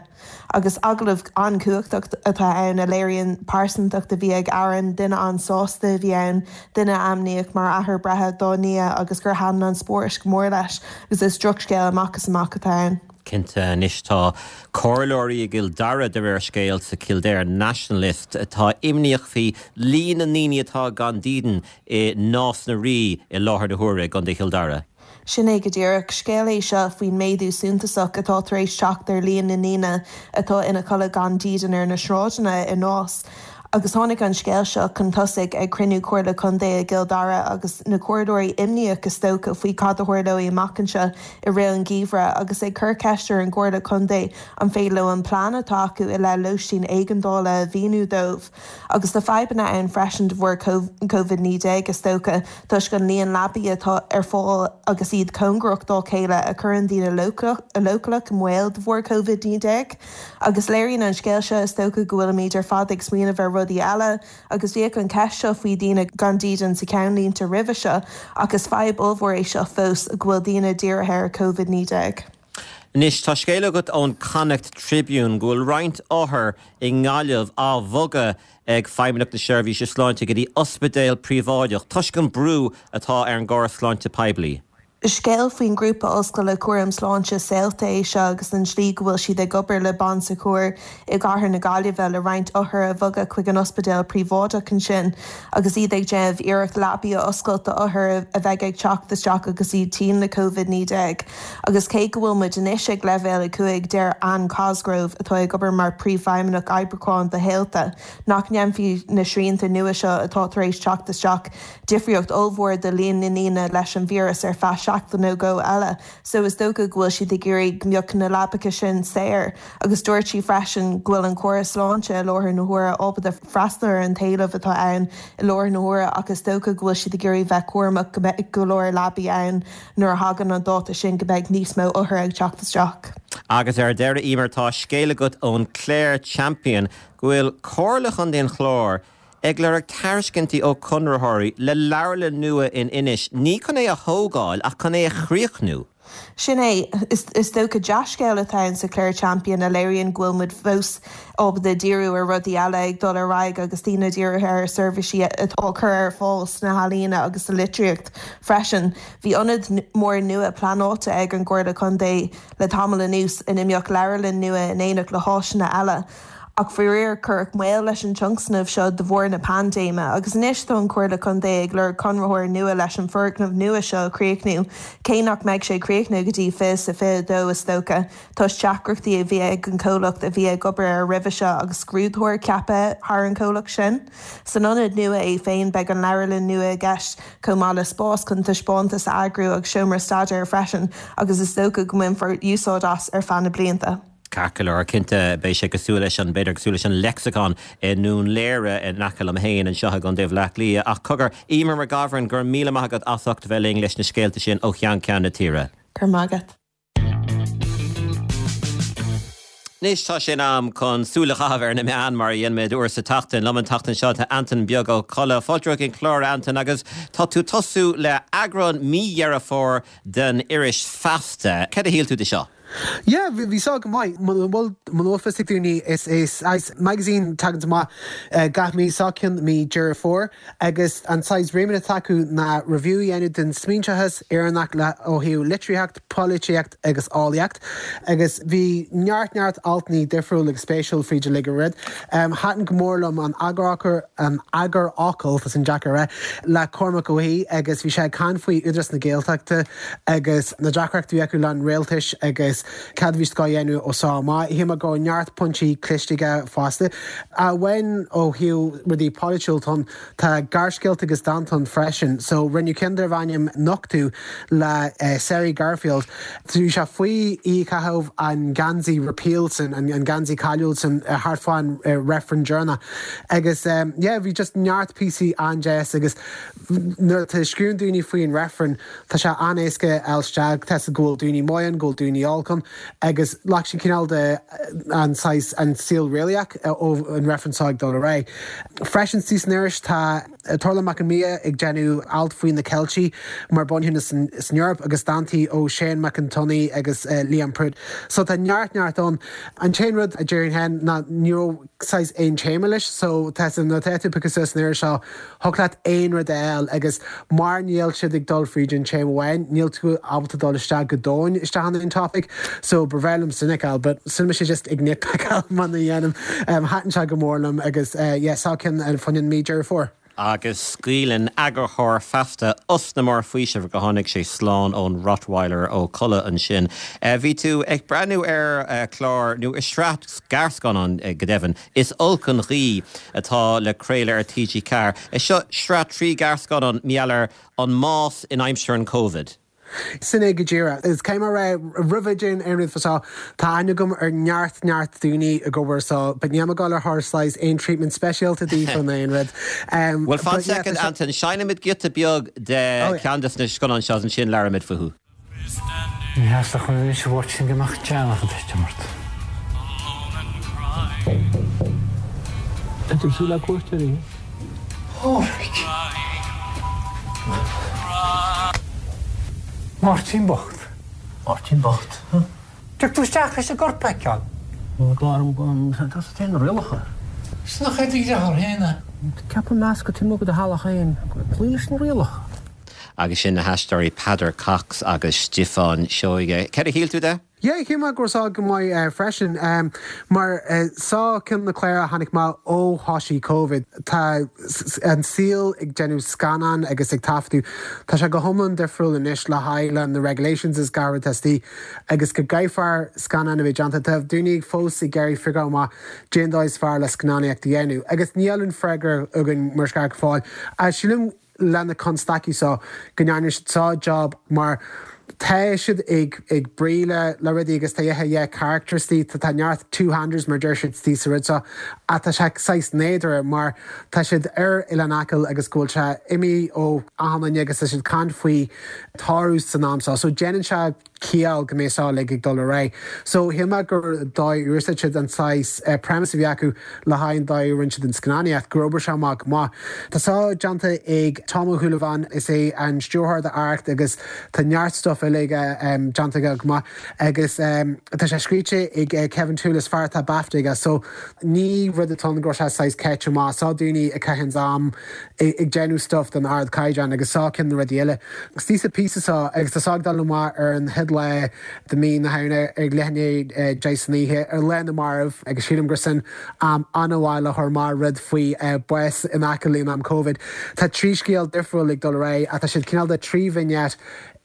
Agus agallamh an-chumhachtach atá ann a léiríonn pearsantacht a bhí ag Aaron, duine an-sásta a bhí ann, duine a ainmníodh mar athair breithe dá nia agus gur thaitin an spórt go mór leis agus is drochscéal amach is amach atá ann. Cinnte, anois tá comhairleoirí i gCill Dara de réir scéil sa Kildare Nationalist atá imníoch faoi líon na ndaoine atá gan dídean i Nás na Rí i láthair na huaire i gContae Chill Dara. Sin é go díreach. Scéal é seo faoin méadú suntasach atá tar éis teacht ar líon na ndaoine atá ina codladh gan dídean ar na sráideanna i Nás. Agus tháinig an scéal seo chun tosaigh ag cruinniú Comhairle Contae i gCill Dara agus na comhairleoirí imníoch is dócha faoi cad a tharlóidh amach anseo i rith an gheimhridh agus ag cur ceist ar an gComhairle Contae an féidir leo an plean atá acu i leith lóistín éigeandála a mhíniú dóibh. Agus tá fadhbanna ann freisin de bharr Covid naoi déag is dócha toisc an líon leabaí atá ar fáil agus iad cóngarach dá chéile a chuireann daoine leochaileach i mbaol de bharr Covid naoi déag. Agus léiríonn an scéal seo is dócha go bhfuilimid ar fad ag smaoineamh ar rudaí eile agus bhíodh an cheist seo faoi dhaoine gan dídean sa cheannlínte roimhe seo ach is fadhb ollmhór é seo fós go bhfuil daoine dírithe ar Covid naoi déag. Anois tá scéal agat ón Connacht Tribune go bhfuil roinnt othar i nGaillimh á bhogadh ag Feidhmeannacht na Seirbhíse Sláinte go dtí ospidéal príobháideach toisc an brú atá ar an gcóras sláinte poiblí. Scéal faoin ngrúpa ollscoile cúram sláinte Saolta é seo agus an tslí go bhfuil siad ag obair le Bon Secours i gcathair na Gaillimhe le roinnt othar a bhogadh chuig an ospidéal príobháideach ansin agus iad ag déanamh iarracht leapaí a oscailt d'othair a bheidh ag teacht isteach agus iad tinn le Covid naoi déag. Agus cé go bhfuil muid anois ag leibhéal a cúig, deir Anne Cosgrove, atá ag obair mar Phríomhfheidhmeannach Oibriúcháin do Shaolta, nach ndéanfaidh na srianta nua seo atá tar éis teacht isteach difríocht ollmhór do líon na ndaoine leis an víreas ar feadh seachtain nó dhó eile so is dócha go bhfuil siad ag iarraidh go mbeadh na leapacha sin saor. Agus dúirt sí freisin go bhfuil an córas sláinte i láthair na huaire ábalta freastal ar an t-éileamh atá ann i láthair na huaire ach is dócha go bhfuil siad ag iarraidh bheith cúramach go mbeidh go leor leapaí ann nuair a thagann an dáta sin go mbeidh níos mó othar ag teacht isteach. Agus ar deireadh, Emer, tá scéal agat ón Clare Champion go bhfuil Comhairle Chontae an Chláir ag lorg tairiscintí ó chonraitheoirí le leabharlann nua in Inis, ní chun é a thógáil ach chun é a chríochnú. Sin é. Is dócha dea-scéal atá ann sa Clare Champion a léiríonn go bhfuil muid fós ábalta díriú ar rudaí eile ag dul ar aghaidh agus daoine dírithe ar seirbhísí atá á cur ar fáil sna healaíona agus sa litríocht freisin. Bhí ionad mór nua pleanáilte ag an gComhairle Contae le tamall anuas ina mbeadh leabharlann nua in éineacht le háiseanna eile. Ach faraor, cuireadh moill leis an tionscnamh seo de bharr na paindéime, agus anois tá an Chomhairle Contae ag lorg conraitheoir nua leis an foirgneamh nua seo a chríochnú, cé nach mbeidh sé críochnaithe go dtí fiche is a fiche a dó is dócha, toisc deacrachtaí a bhí ag an chomhlacht a bhí ag obair air roimhe seo agus scrúdaitheoir ceaptha thar an chomhlacht sin. San ionad nua é féin beidh an leabharlann nua i gceist, chomh maith le spás chun taispeántais a eagrú agus seomra staidéir freisin, agus is dócha go mbainfear úsáid as ar feadh na blianta. Ceart go leor, cinnte, beidh sé cosúil leis an, b'fhéidir cosúil leis an Lexicon i nDún Laoghaire in aice liom féin anseo i gContae Bhaile Átha Cliath. Ach cogar, Emer McGovern, go raibh míle maith agat as ucht a bheith linn leis na scéalta sin ó cheann ceann na tíre. Go raibh maith agat. Anois tá sé in am chun súil a chaitheamh ar na meáin mar a dhéanaimid uair sa tseachtain. Liom an tseachtain seo tá Antain Beag Ó Colla. Fáilte chuig an chlár, a Antain, agus tá tú tosú le eagrán mí Dheireadh Fómhair den iris Feasta. Cad a shíl tú de seo? Yeah, bhí sé go maith. Muna bhfuil muna bhfuil fios ag daoine is é saghas magazine tagann amach gach mí seo ceann mí Deireadh Fómhair agus an saghas remit atá acu ná review a dhéanamh den smaointeachas Éireannach le ó thaobh litríocht, polaitíocht agus eolaíocht agus bhí neart neart altanna difriúil agus spéisiúil fríd uilig an rud. Thaitin go mór liom an eagarfhocal an eagarfhocal tá sin deacair a rá le Cormac Ó hAodha agus bhí sé ag caint faoi Údarás na Gaeltachta agus na deacrachtaí a bhí acu le an rialtais agus cad a bhí siad ag déanamh ó seo amach. Shíl mé go raibh neart pointí cliste aige fosta. Amháin ó thaobh rudaí polaitiúil ann, tá gearrscéalta agus dánta ann freisin. So rinneadh ceann darbh ainm Nochtadh le Ceri Garfield. Bhí sé faoi oíche a caitheadh an geansaí repeal sin, an geansaí cáiliúil sin thart fán reifreann deireanach. Agus yeah, bhí just neart píosaí an-deas agus nuair atá scríobhann daoine faoin reifreann, tá sé an-éasca a fháil isteach, tá go bhfuil daoine maith ann, go bhfuil daoine olc ann agus leag sin cineál de an saghas an saol réalaíoch ó an reifreann seo ag dul ar aghaidh. Freisin sa san iris tá Torla Mac an Mia ag déanamh alt faoi na Ceiltigh mar bunthine san Eoraip agus dántaí ó Shane Mac an Tony agus uh, Liam Prút. So tá neart neart ann an t-aon rud a déarfainn féin ná ní raibh saghas aon téama leis, so tá na tú because san iris seo thig leat aon rud eile agus mar níl siad ag dul fríd an téama amháin, níl tú ábalta dul isteach go domhain isteach an topic, so ba bhreá liom sin fheiceáil, but sin sé just ag nitpickáil man a dhéanam um, thaitin sé go mór liom agus uh, yeah, sá cinn an funin mí Deireadh Fómhair. Agus scaoileann eagarthóir Feasta osna mór faoisimh go tháinig sé slán ón Rottweiler ó Colla ansin. Uh, bhí tú ag breathnú ar uh, chlár nó i sraith gearrscannán uh, go deimhin. Is olc an ghaoth atá le craoladh ar TG Ceathair. Is seo sraith trí gearrscannán maidir an mbás in aimsir an COVID. Sin é go díreach. Is cé rá roimh din aon rud seo tá aithne agam ar neart neart daoine a gobar so, but ní gáil ar thir slice aon treatment speisialta daofa aon rud. Um, well fan second Anton seinnfimid giota beag de oh, ceann des na scannáin seo ansin labhróimid fúthu. Ní theasta chun is bhart sin go mbeadh teannach an tuistemart. Tá tú súla cuairteoirí? Pádraig! Máirtín bocht. Máirtín bocht. Tuig tú isteach leis an gcorp a fheiceáil. Tá na rialacha. Is nach é do dheartháir féin é. Ceapaim meas go timú go do theaghlach féin, cloí leis na rialacha. Agus sin na haisteoirí Peadar Cox agus Stiofán Seoige. Cad a shíl tú de? Yeah, shíl mé go raibh seo go maith uh, freisin um, mar uh, sá cinn na cláir a tháinig amach ó thosaigh COVID Tá an saol ag déanamh scannán agus ag taifeadadh Tá sé go hiomlán difriúil anois le haghaidh le na regulations is gar testí agus go gcaithfear scannán a bheith déanta Tá daoine fós ag iarraidh fáil amach cén dóigh is fearr le scannánaíocht a dhéanamh agus níl an freagra againn mar scar fáil. Sílim lena constaicí seo go ndearna siad seo job mar tá siad ag ag braille le rudaí agus tá yeah characters tá tá neart two-handers mar deir siad tí sa rud seo ach tá sé saghas nádúrtha mar tá siad ar Oileán Acaill agus go bhfuil sé imithe ó achan agus tá siad caint faoi tarú san am seo so déanann sé ciall go mbeidh seo le ag dul ar aghaidh. So shíl mé gur dóigh úsáid siad an saghas uh, premise a bhí acu le haghaidh an dóigh rinne siad an scannánaíocht gur obair sé amach maith. Tá seo déanta ag Tom Ó Súilleabháin is é an stiúrthóir de Arracht agus tá neart stuff eile um, déanta go maith agus um, tá sé scríte ag uh, Kevin Toolis fear atá BAFTA aige so ní rud atá go sé saghas ceit má sá daoine a caitheann am ag déanamh stuff den ardchaighdeán agus sá cinn na rudaí eile. Agus tí sa píosa seo agus tá sá dul amach ar an chéad lá de mí na Samhna ag leath i ndiaidh deich san oíche ar Lá na Marbh agus sílim gur sin am an-mhaith le chur mar rud faoi uh, bás in Acaill in am COVID. Tá trí scéal difriúil ag dul ar aghaidh ach tá siad cineál de trí vignette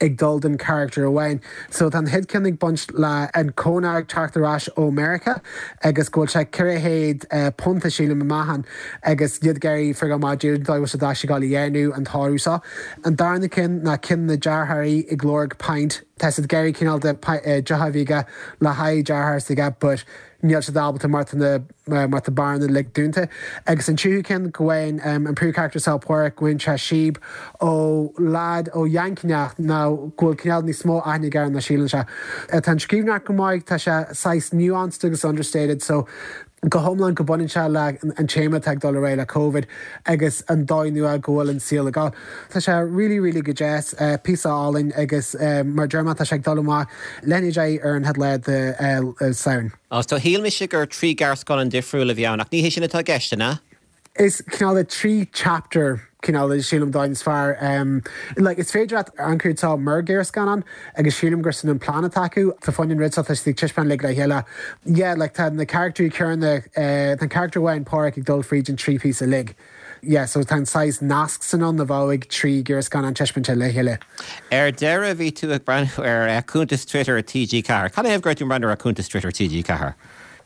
ag dul den character amháin. So tá chéad ceann ag baint le an cónag teacht ar ais ó America agus go bhfuil sé ceithre chéad uh, punta sílim amach agus iad ag iarraidh fáil amach dá dá gáil dhéanú an tárú seo. An darna cinn ná cinn na deartháirí ag lorg pint Tá siad ag iarraidh cineál de deoch a bhí aige le haghaidh deartháir s'aige, but níl siad ábalta mar na mar tá beáranna uilig dúnta. Agus an tríú ceann go bhfuil um, an príomhcharacter seo Pádraic go bhfaigheann sé síob ó leaid ó Yankineach ná go bhfuil cineál níos mó aithne air ná síleann sé. Tá an scríbhneoireacht go maith tá sé saghas nuanced agus understated, so go hiomlán go baineann sé le an téama ag dul ar aghaidh le COVID agus an dóigh nua go bhfuil an saol ag gabháil. Tá sé really really go deas uh, píosa álainn agus uh, mar German tá sé ag dul amach lena deich ar an chéad lá de uh, Samhain. Agus tá shíl mise gur trí gearrscannán difriúil a bhí ann ach ní hé sin atá i gceist ná? Is cineál de trí chapter cineál sílim dóigh is fearr um, like, is féidir leat amharc air mar ghearrscannán agus sílim gur sin an plan atá acu tá fáin rud tá taispeáint le le chéile. Yeah, like, tá na character céanna uh, tá character amháin Pádraic ag dul fríd an trí píosa uilig. Yeah, so tá saghas nasc san an na bhhaigh trí gearrscannán taispeáint le chéile. Ar deireadh bhí tú ag breathnú ar uh, cuntas Twitter TG Ceathair. Cad é gur tú breathnú ar cuntas Twitter TG Ceathair?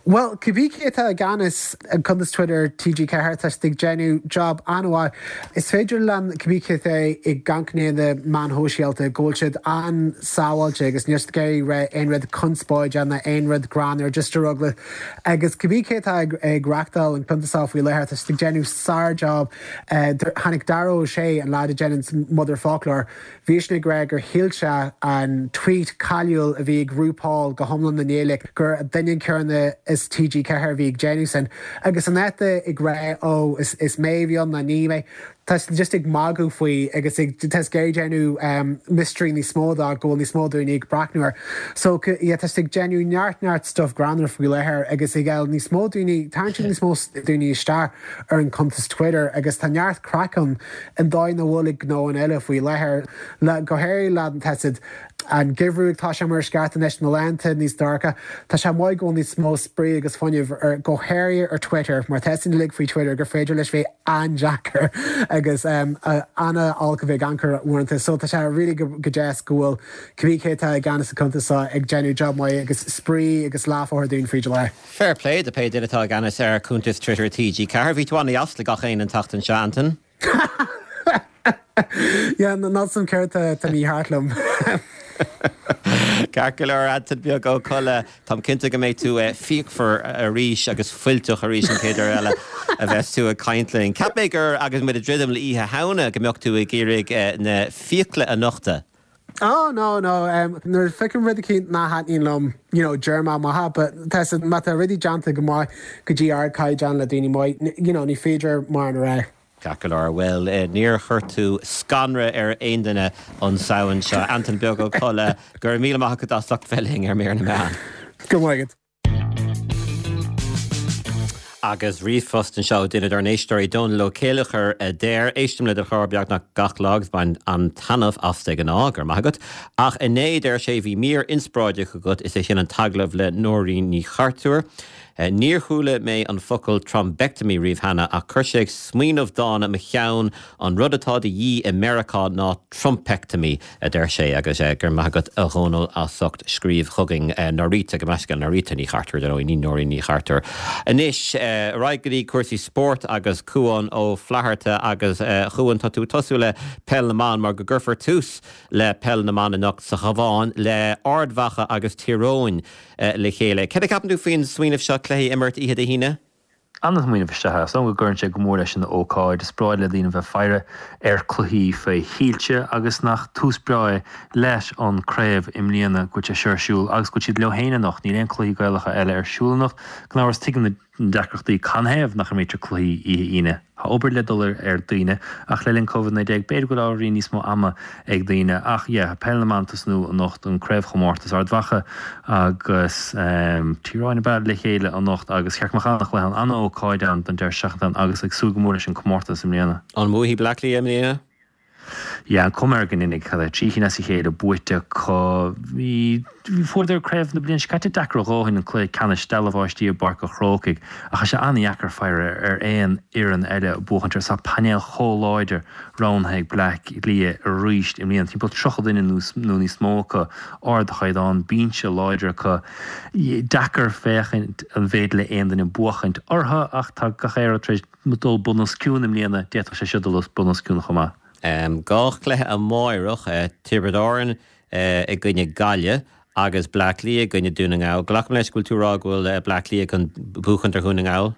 Well, cibé cé atá i gceannas an cuntas Twitter TG Ceathair tá ag déanamh job an-mhaith. Is féidir le cibé cé atá i gceannas na meáin shóisialta go bhfuil siad an-sábháilte agus níos géirí re aon rud conspóideach ná aon rud greannmhar just a rugla. Agus cibé cé atá ag, ag reáchtáil an cuntas faoi láthair tá ag déanamh sár-job uh, tháinig Dara Ó Sé an leaid a dhéanann Motherfoclóir. Bhí sé ag rá gur shíl sé an tweet cáiliúil a bhí ag RuPaul go hiomlán na néidir gur duine céanna is TG Ceathair bhí ag déanamh sin. Agus an ete ag rá ó is, is mé bhí an na ní mé. Tá siad just ag magadh faoi agus ag tá siad ag déanamh mystery níos mó de go bhfuil níos mó daoine ag breathnú air. So yeah tá siad ag déanamh neart neart stuff greannmhar faoi láthair agus ag fháil níos mó daoine, tarraingt níos mó daoine isteach ar an cuntas Twitter agus tá neart craic ann an dóigh nach bhfuil ag gnóanna eile faoi láthair le go háirithe le tá siad an geimhreadh ag tá sé mar sceart anois na laethanta níos dorcha. Tá sé maith go bhfuil níos mó spraoi agus fuinneamh ar go háirithe ar Twitter mar tá sin uilig faoi Twitter gur féidir leis bheith an-deacair agus um, an-olc a bheith ag amharc uaireanta. So tá sé really go, go deas go bhfuil cibé cé atá i gceannas an cuntas seo ag déanamh job maith agus spraoi agus láfáthir dúinn fríd le. Fair play do pé duine atá i gceannas ar cuntas Twitter TG Ceathair. Bhí tú an-deas le gach éinne an tseachtain seo Anton. Yeah, ná san céard tá mícheart liom. Ceart go leor Anton Beag Ó Colla Táim cinnte go mbeidh tú fíochmhar arís agus fuilteach arís an chéad uair eile a bheas tú ag caint linn. Ceap mé gur agus muid ag druidim le Oíche Shamhna go mbeadh tú ag iarraidh na fiacla a nochtadh. Oh no no um, nuair feicim rud éicint nach dtaitníonn liom you know, deir mé maith but tá má tá rudaí déanta go maith go dtí ardchaighdeán le daoine maith you know, ní féidir mar a rá. Ceart go leor bhuel níor chuir tú scanradh ar aon duine an Samhain seo Anton Beag Ó Colla go raibh míle maith agat as ucht bheith linn ar Mír na Meán. Go maith. Agus ríomhphost anseo duine dár n-éisteoirí Dónal Ó Céileachair a deir éistim le do chlár beagnach gach lá agus bain an-taitneamh as de ghnáth go raibh maith agat. Ach inné deir sé bhí mír inspioráideach agat is é sin an t-agallamh le Nóirín Ní Chartúir. Níor chuala mé an focal thrombectomy riamh cheana ach chuir sé ag smaoineamh dána mo cheann an rud atá de dhíth i Meiriceá ná Trumpectomy a deir sé agus go raibh maith agat a Dhónaill as ucht scríobh chugainn Norita go meisce Norita Ní Chartúir nó ní Nóirín Ní Chartúir. Anois ar aghaidh go dtí cúrsaí spóirt agus Cuan Ó Flatharta agus Cuan tá tú tosú le peil na mban mar go gcuirfear tús le peil na mban anocht sa Chabhán le Ard Mhacha agus Tír Eoghain le chéile. Céard a cheapann tú faoin smaoineamh seo cluichí a imirt oíche Dé hAoine? An-smaoineamh isteach as go gcuireann sé go mór leis an ócáid, is breá le daoine bheith faire ar cluichí faoi thuilte agus nach tús breá leis an craobh i mbliana go bhfuil sé seo ar siúl agus go bhfuil siad leo féin anocht, níl aon cluichí Gaelacha eile ar siúl anocht. Gan amhras tuigim na deacrachtaí canathaobh nach imrítear cluichí oíche Aoine. Tá obair le dul ar daoine ach le linn Covid naoi déag b'fhéidir go bhfuil ábhairín níos mó ama ag daoine ach yeah peil na mban tosnú anocht an craobhchomórtas Ard Mhacha agus Tír Eoghain ab ea le chéile anocht agus cheart go mbeadh an-chluiche ann, an-ócáid ann don deireadh seachtaine agus ag súil go mór leis an comórtas i mbliana. An mbuafaidh Bleá Cliath i mbliana? Yeah, an cuma air go ndéanfaidh, cad é, trí chinn as a chéile buaite acu. Bhí, fuaireadar craobh na bliana seo caite deacair a dhóthain, an cluiche ceannais, dealbh báistí i bPáirc an Chrócaigh, ach tá sé an-dheacair faire ar aon fhoireann eile buachaint orthu. Tá painéal chomh láidir roghnaithe ag Bleá Cliath arís i mbliana, timpeall tríocha duine nó níos mó acu, ardchaighdeán, binse láidir acu. Deacair féachaint an bhféidir le aon duine buachaint orthu ach tá gach aon rud tar éis dul bun os cionn i mbliana, d'fhéadfadh sé seo dul bun os cionn chomh maith. Dhá chluiche amáireach, Tiobraid Árann i gcoinne Gaillimh agus Bleá Cliath i gcoinne Dún na nGall. Glacaim leis go bhfuil tú ag rá go bhfuil Bleá Cliath chun buachaint ar Dhún na nGall?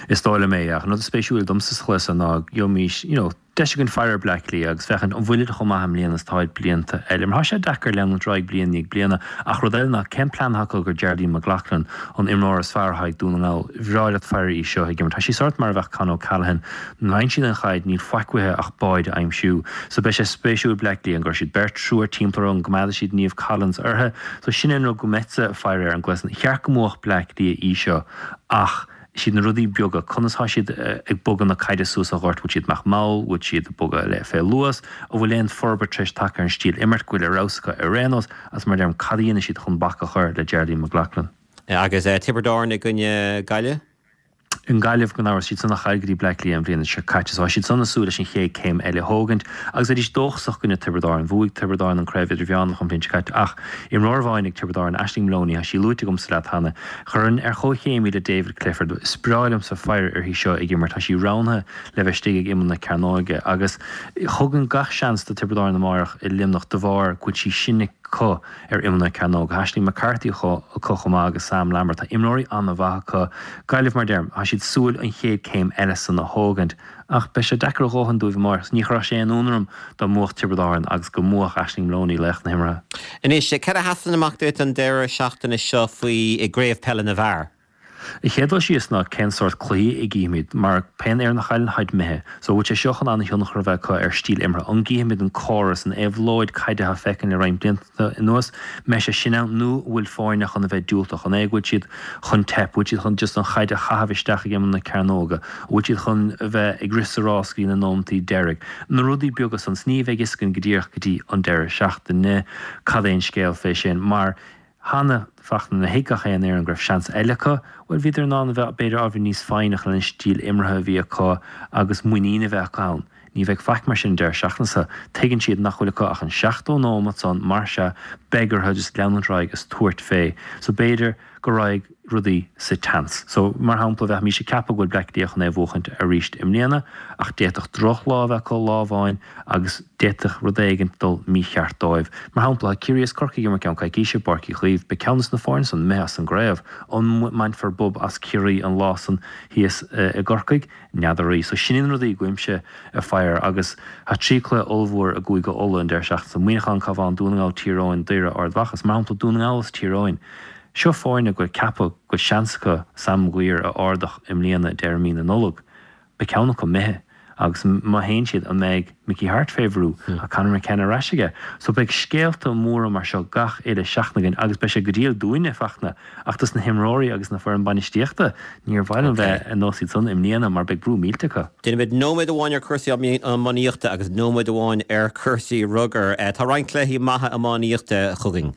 Is dóigh liom é, ach an rud is spéisiúil domsa sa chluiche ná gheobhaimís, you know, deis againn faire ar Bleá Cliath agus féachaint an bhfuilid chomh maith i mbliana is atáid blianta eile. Mar tá sé deacair leanúint ar aghaidh bliain i ndiaidh bliana. Ach rud eile ná cén plean atá acu do Geraldine McLaughlin, an imreoir is fearr atá ag Dún na nGall. Bhreá leat faire í seo ag imirt. Tá sí sórt mar a bheadh Con O'Callaghan. Nuair a fhaigheann siad an chaid níl faic uaithi ach báid a aimsiú. So beidh sé spéisiúil Bleá Cliath an gcuirfidh siad beirt, triúr timpeall uirthi, an gcoimeádfaidh siad Niamh Collins uirthi. So sin é an rud go mbeadsa ag faire air an gcluiche san. Cheart go mbuafadh Bleá Cliath í seo ach siad na rudaí beaga, conas tá siad ag bogadh na caide suas an gort, bhfuil siad ag imeacht mall, bhfuil siad ag bogadh le fé luas, an bhfuil aon forbairt tar éis tagtha ar an stíl imirt, go bhfuil ar fheabhas acu ar aon nós, agus mar a deirim, cad a dhéanfaidh siad chun bac a chur le Geraldine McLaughlin. Agus Tiobraid Árann i gcoinne Gaillimh? I nGaillimh, gan amhras, siad san a chaill go dtí Bleá Cliath an bhliain seo caite, so tá siad san ag súil leis an chéad céim eile a thógaint, agus bheidís dóchasach i gcoinne Tiobraid Árann. Bhuaigh Tiobraid Árann an Craobh Idirmheánach an bhliain seo caite, ach imreoir amháin ag Tiobraid Árann, Aisling Moloney, tá sí luaite agamsa leat cheana, Chuirfinn ar chomhchéim í le David Clifford. Is breá liomsa faire uirthi seo ag imirt. Tá sí roghnaithe le bheith istigh ag imeall na cearnóige agus thugainn gach seans do Tiobraid Árann amáireach i Luimneach de bharr go bhfuil sí sin acu ar imeall na cearnóige. Tá Aisling McCarthy acu chomh maith agus Sam Lambert. Tá imreoirí an-mhaith acu. Gaillimh, mar deirim, tá siad súil an chéad céim eile san a thógaint. Ach beidh sé deacair a dhóthain dóibh amárach. Ní chuirfeadh sé aon ionadh orm dá mbuafadh Tiobraid Árann agus go mbuafadh Aisling Moloney laoch na himeartha. Anois, cad a sheasann amach duit an deireadh seachtaine seo faoi i gCraobh Peile na bhFear? An chéad dul síos ná cén sórt cluichí a gcífimid, mar pé fhoireann a chailleann táid imithe. So bhfuil sé seo chun an-thionchar a bheith acu ar stíl imeartha? An gcífimid an córas, an éabhlóid caide atá feicthe le roinnt blianta anuas? Mbeidh sé sin ann nó bhfuil foirne chun a bheith diúltach? An é go bhfuil siad chun teip? Bhfuil siad chun just an chaid a chaitheamh isteach ag imeall na cearnóga? Bhfuil siad chun a bheith ag rith sa rás go dtí na nóimeantaí deiridh? Na rudaí beaga san, 's ní bheidh fhios againn go díreach go dtí an deireadh seachtaine cad é an scéal fé sin, mar cheana Fachtna nuair a thuig gach aon fhoireann go raibh seans eile acu, bhuel bhíodar in ann a bheith b'fhéidir ábhairín níos foighneach lena stíl imeartha a bhí acu agus muinín a bheith acu ann. Ní bheidh faic mar sin an deireadh seachtaine seo. Tuigeann siad nach bhfuil acu ach an seachtó nóimeat san, mar sea beidh orthu just leanúint ar aghaidh is tabhairt fé. So b'fhéidir go raghaidh rudaí sa teannas. So, mar shampla, bheimis ag ceapadh go bhfuil Bleá Cliath chun é a bhuachaint arís i mbliana, ach d'fhéadfadh drochlá a bheith acu lá amháin agus d'fhéadfadh rud éigin dul mícheart dóibh. Mar shampla, tá Ciarraí is Corcaigh ag imirt i gceann coicíse i bPáirc Uí Chaoimh. Beidh ceann de na foirne san imithe as an gcraobh. An mbainfear bob as Ciarraí an lá san thíos i gCorcaigh? N'fheadaraí. So, sin iad na rudaí a gcuimse a fire agus tá trí chluiche ollmhór i gCúige Uladh an deireadh seachtaine seo, Muineachán, Cabhán, Dún na nGall, Tír Eoghain, Doire, Ard Mhacha. Is mar shampla, Dún na nGall is Tír Eoghain. Seo foirne go bhfuil ceapadh go bhfuil seans acu Sam Maguire a ardach i mbliana deireadh mí na Nollag. Beidh ceann acu imithe agus má théann siad an mbeidh Mickey Harte fé bhrú? Tá Conor McKenna ar ais aige. So beidh scéalta móra mar seo gach uile seachtain againn agus beidh sé go diail dúinne, Fachtna, ach dos na himreoirí agus na foireann bainistíochta, níor mhaith liom bheith ar nós iad san i mbliana mar beidh brú millteach acu. Déanfaimid nóiméad amháin ar chúrsaí iománaíochta agus nóiméad amháin ar chúrsaí rugair. Tá roinnt cluichí maithe iománaíochta chugainn.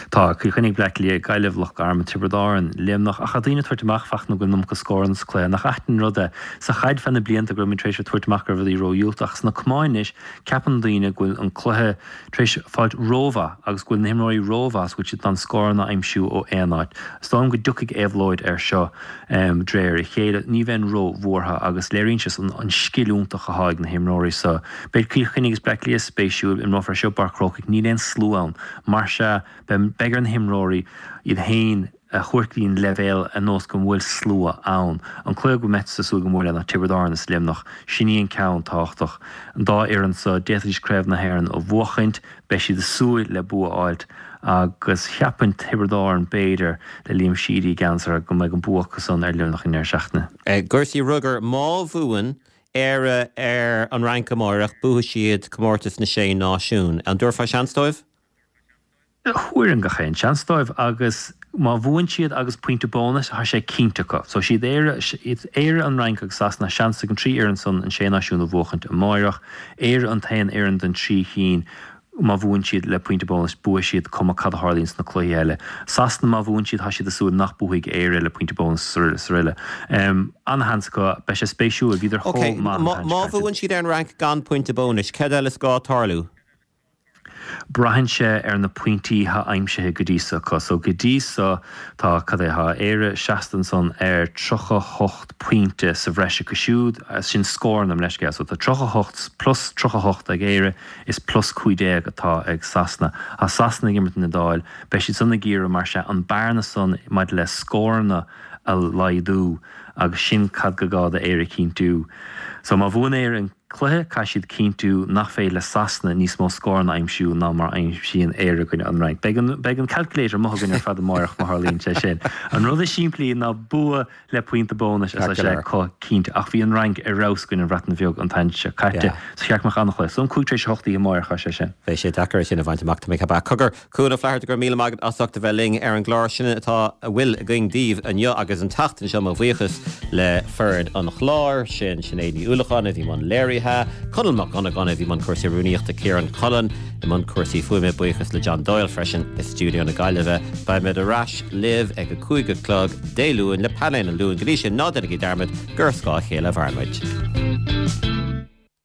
Tá, Cill Chainnigh, Bleá Cliath, Gaillimh, Loch Garman, Tiobraid Árann, Luimneach, ach tá daoine ag tabhairt amach Fachtna go bhfuil an iomarca scóranna sa cluiche. Nach ait an rud é? Sa chaid feadh na blianta go raibh muid tar éis a tabhairt amach go raibh rudaí ródhiúltach. Ach sna camáin anois, ceapann daoine go bhfuil an cluiche tar éis fáilt rómhaith agus go bhfuil na himreoirí rómhaith is go bhfuil siad in ann scóranna a aimsiú ó aon áit. Is dóigh liom go dtiocfaidh éabhlóid air seo d'réir a chéile. Ní bheinn róbhuartha agus léiríonn sé an scil iontach atá ag na himreoirí so. Beidh Cill Chainnigh agus Bleá Cliath spéisiúil. Imreofar seo i bPáirc Chrócaigh. Níl aon slua ann. Mar sea, beidh ar na himreoirí iad féin a thabhairt go dtí an leibhéal ar nós go bhfuil slua ann. An cluiche go mbeifeá ag súil go mór le ná Tiobraid Árann is Luimneach. Sin í an ceann tábhachtach. An dá fhoireann so, d'fhéadfaidís Craobh na hÉireann a bhuachaint, beidh siad ag súil le bua a fháilt agus cheapfainn Tiobraid Árann b'fhéidir le Liam Sheedy i gceannas orthu go mbeidh an bua acu san ar Luimneach an deireadh seachtaine. I gcúrsaí rugair, má bhuann Éire ar an Fhrainc amárach, buafaidh siad Comórtas na Sé Náisiún. An dtabharfá seans dóibh? Thabharfainn gach aon seans dóibh agus má bhuann siad agus pointe bónais, tá sé cinnte acu. So siad Éire, Éire, an Fhrainc agus Sasana, seans ag an trí fhoireann san an Sé Náisiún a bhuachaint amáireach. Éire an t-aon fhoireann den trí chinn má bhuann siad le pointe bónais, buafaidh siad cuma cad a tharlaíonn sna cluichí eile. Sasana má bhuann siad, tá siad ag súil nach buafaidh Éire le pointe bónais is araile. Ana-sheans acu, beidh sé spéisiúil, bhíodar Ok, chomh maith an má tseachtain seo caite. bhuann siad ar an Fhrainc gan pointe bónais, céard eile is gá tarlú? Braitheann sé ar na pointí atá aimsithe go dtí so acu. So go dtí so tá, cad é, tá Éire seasta ansan ar tríocha hocht pointe sa bhreis acu siúd, sin scóranna, mo leithscéal. So tá tríocha hocht plus tríocha hocht ag Éire is plus cúig déag atá ag Sasana. Tá Sasana ag imirt an Iodáil, beidh siad san ag iarraidh mar sea an bearna san maidir le scóranna a laghdú agus sin cad go gá do Éire cinntiú. So má bhuann Éire an cluiche, caithfidh siad cinntiú nach féidir le Sasana níos mó scóranna a aimsiú ná mar a aimsíonn Éire i gcoinne an Fhrainc. Beidh an beidh an calculator amuigh againn ar fad amáireach má tharlaíonn sé sin. An rud is simplí ná bua le pointe bónais is tá sé acu cinnte. Ach bhí an Fhrainc ar fheabhas i gcoinne an Bhreatain Bheag an tseachtain seo caite so cheart go mbeadh an-chluiche. So an cúig tar éis a hocht oíche amáireach tá sé sin. Beidh sé deacair é sin a bhaint amach, tá mé ag ceapadh. Cogar, Cuan Ó Flatharta, go raibh míle maith agat as ucht a bheith linn ar an gclár. Sin atá a bhfuil againn daoibh inniu agus an tseachtain seo mo bhuíochas le foireann an chláir, sin Sinéad Ní Uallacháin a bhí i mbun léirithe, Conall Mac Dhonnagáin a bhí i mbun cúrsaí rúnaíochta, Ciarán Cullen i mbun cúrsaí fuaime, buíochas le John Doyle freisin i stiúideo na Gaillimhe. Beimid ar ais libh ag a cúig a chlog Dé Luain le Painéal an Luain. Go dtí sin, ná déanaigí dearmad gur ar scáth a chéile a mhaireann muid.